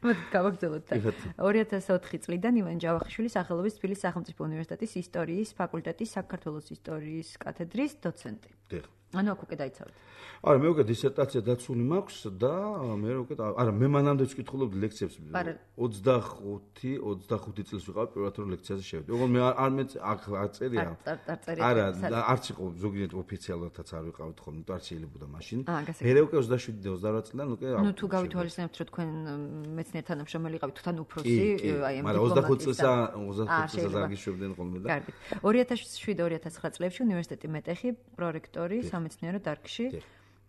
მოდით გავაგრძელოთ. ორი ათას ოთხი წლიდან ივან ჯავახიშვილის სახელობის თბილისის სახელმწიფო უნივერსიტეტის ისტორიის ფაკულტეტის საქართველოს ისტორიის კათედრის დოცენტი. დიახ. ანუ აქ უკვე დაიცავთ. არა, მე უკვე დისერტაცია დაცული მაქვს და მე უკვე არა, მე მანამდე ვკითხულობდი ლექციებს. ოცდახუთი ოცდახუთი წელს ვიყავ პირველად რომ ლექციაზე შევედი. ოღონდ მე არ მე აქ აწერია. არა, არც იყო ზოგიერთ ოფიციალურადაც არ ვიყავით ხოლმე, იმიტომ არ შეიძლებოდა მაშინ. მე უკვე ოცდაშვიდი და ოცდარვა წლიდან უკვე ნუ თუ გავითვალისწინებთ რომ თქვენ მეცნიერ თანამშრომელი იყავით, თან უფროსი, აი ამ მაგრამ ოცდახუთი წელსა ოცდახუთი წელსა დაგიშვებდნენ ხოლმე და. კარგი. ორი ათას შვიდი ორი ათას ცხრა წლებში უნივერსიტეტი მეტეხი, პროექტორი სამეცნიერო დარგში.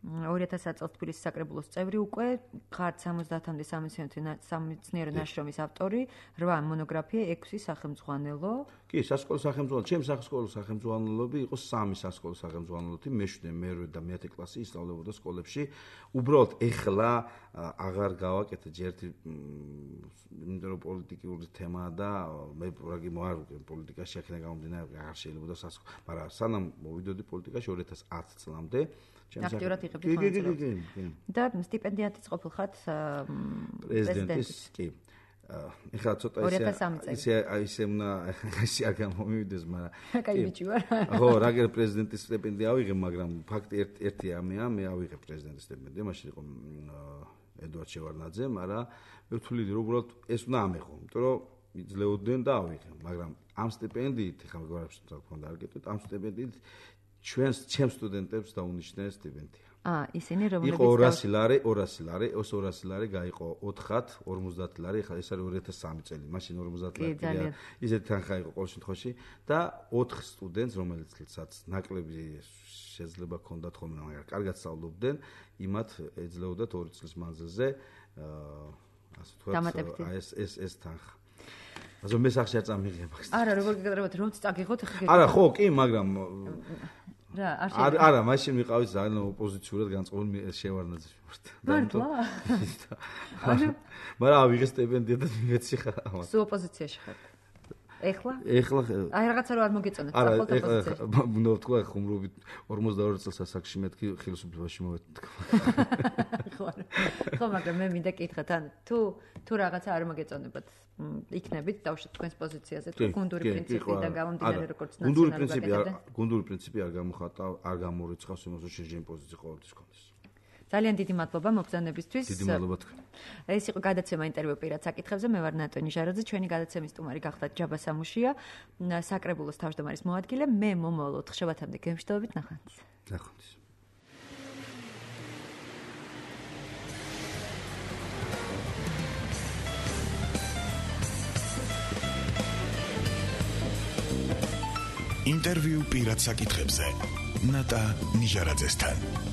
ორი ათას წელს თბილისის საკრებულოს წევრი უკვე, ხართ სამოცდაათამდე სამეცნიერო ნაშრომის ავტორი, რვა მონოგრაფია, ექვსი სახელმძღვანელო. კი, სასკოლო სახელმძღვანელო, ჩემი სასკოლო სახელმძღვანელოები იყო სამი სასკოლო სახელმძღვანელოთი, მეშვიდე, მერვე და მეათე კლასი ისწავლებოდა სკოლებში. უბრალოდ ეხლა აღარ გავაკეთე ერთი იმიტომ რომ პოლიტიკური თემაა და მე რაგი მოარ პოლიტიკაში აქ გამომდინარე აღარ შეიძლება სასკოლო, მაგრამ სანამ მოვიდოდი პოლიტიკაში ორი ათას ათი წლამდე აქტიურად იღებდი მონაწილეობას. და სტიპენდიატიც ყოფილ ხართ პრეზიდენტის. კი. ეხლა ცოტა ისე ისე ისე უნდა ისე არ გამომივიდეს, მაგრამ კაი ბიჭი ვარ. ხო, რაგერ პრეზიდენტის სტიპენდია ავიღე, მაგრამ ფაქტი ერთი ამია, მე ავიღე პრეზიდენტის სტიპენდია, მაშინ იყო ედვარდ შევარდნაძე, მაგრამ მე ვთვლი რომ უბრალოდ ეს უნდა ამეხო, იმიტომ რომ იძლეოდნენ და ავიღე, მაგრამ ამ სტიპენდიით ეხლა მეგობრებს თქო უნდა არ გეტყვით, ამ სტიპენდიით ჩვენს ჩემს სტუდენტებს დაუნიშნეს სტიპენდია. აა, ისინი რომლებიც იყო ორასი ლარი, ორასი ლარი, ეს ორასი ლარი გაიყო ოთხად, ორმოცდაათი ლარი, ახლა ეს არის ორი ათას სამი წელი, მაშინ ორმოცდაათი ლარი. ისეთი თანხა იყო ყოველ შემთხვევაში და ოთხ სტუდენტს, რომელიცაც ნაკლები შეიძლება ჰქონდათ ხოლმე, მაგრამ კარგად სწავლობდნენ, იმათ ეძლეოდათ ორი წლის მანძილზე აა ასე ვთქვათ, ეს ეს ეს თანხა. ასე მე სახში არ წამიღებ აქ. არა, როგორ გეკეთებათ, რომ წაგიღოთ ახლა. არა, ხო, კი, მაგრამ რა, არ შეიძლება. არა, მაშინ ვიყავით ძალიან ოპოზიციურად განწყობილი შევარდნაძის მიმართ. მართლა? მაგრამ ავიღე სტიპენდია და მივეცი ხარ ამას. სულ ოპოზიციაში ხართ. ეხლა? ეხლა აი რაღაცა რო არ მოგეწონეთ არა, სახელმწიფო პოზიციაში. ეხლა უნდა ვთქვა ხუმრობით ორმოცდაორი წელს ასაკში მეთქი ხელისუფლებაში მოვეთქვა. ხო, ხო, მაგრამ მე მინდა კითხოთ, ან თუ თუ რაღაცა არ მოგეწონებათ, იქნებით დავუშვათ თქვენს პოზიციაზე, თუ გუნდური პრინციპიდან გამომდინარე როგორც ნაციონალური პრინციპი გუნდური პრინციპი არ გამოხატა, არ გამორიცხავს იმას, რომ შეჯენი პოზიცია ყოველთვის გქონდეს. ძალიან დიდი მადლობა მოგზაურობისთვის. დიდი მადლობა თქვენ. ეს იყო გადაცემა ინტერვიუ პირად საკითხებზე. მე ვარ ნატო ნიჟარაძე, ჩვენი გადაცემის სტუმარი გახლავთ ჯაბა სამუშია, საკრებულოს თავმჯდომარის მოადგილე. მე მომავალ ოთხშაბათამდე გემშვიდობებით, ნახვამდის. ნახვამდის. ინტერვიუ პირად საკითხებზე ნატა ნიჟარაძესთან.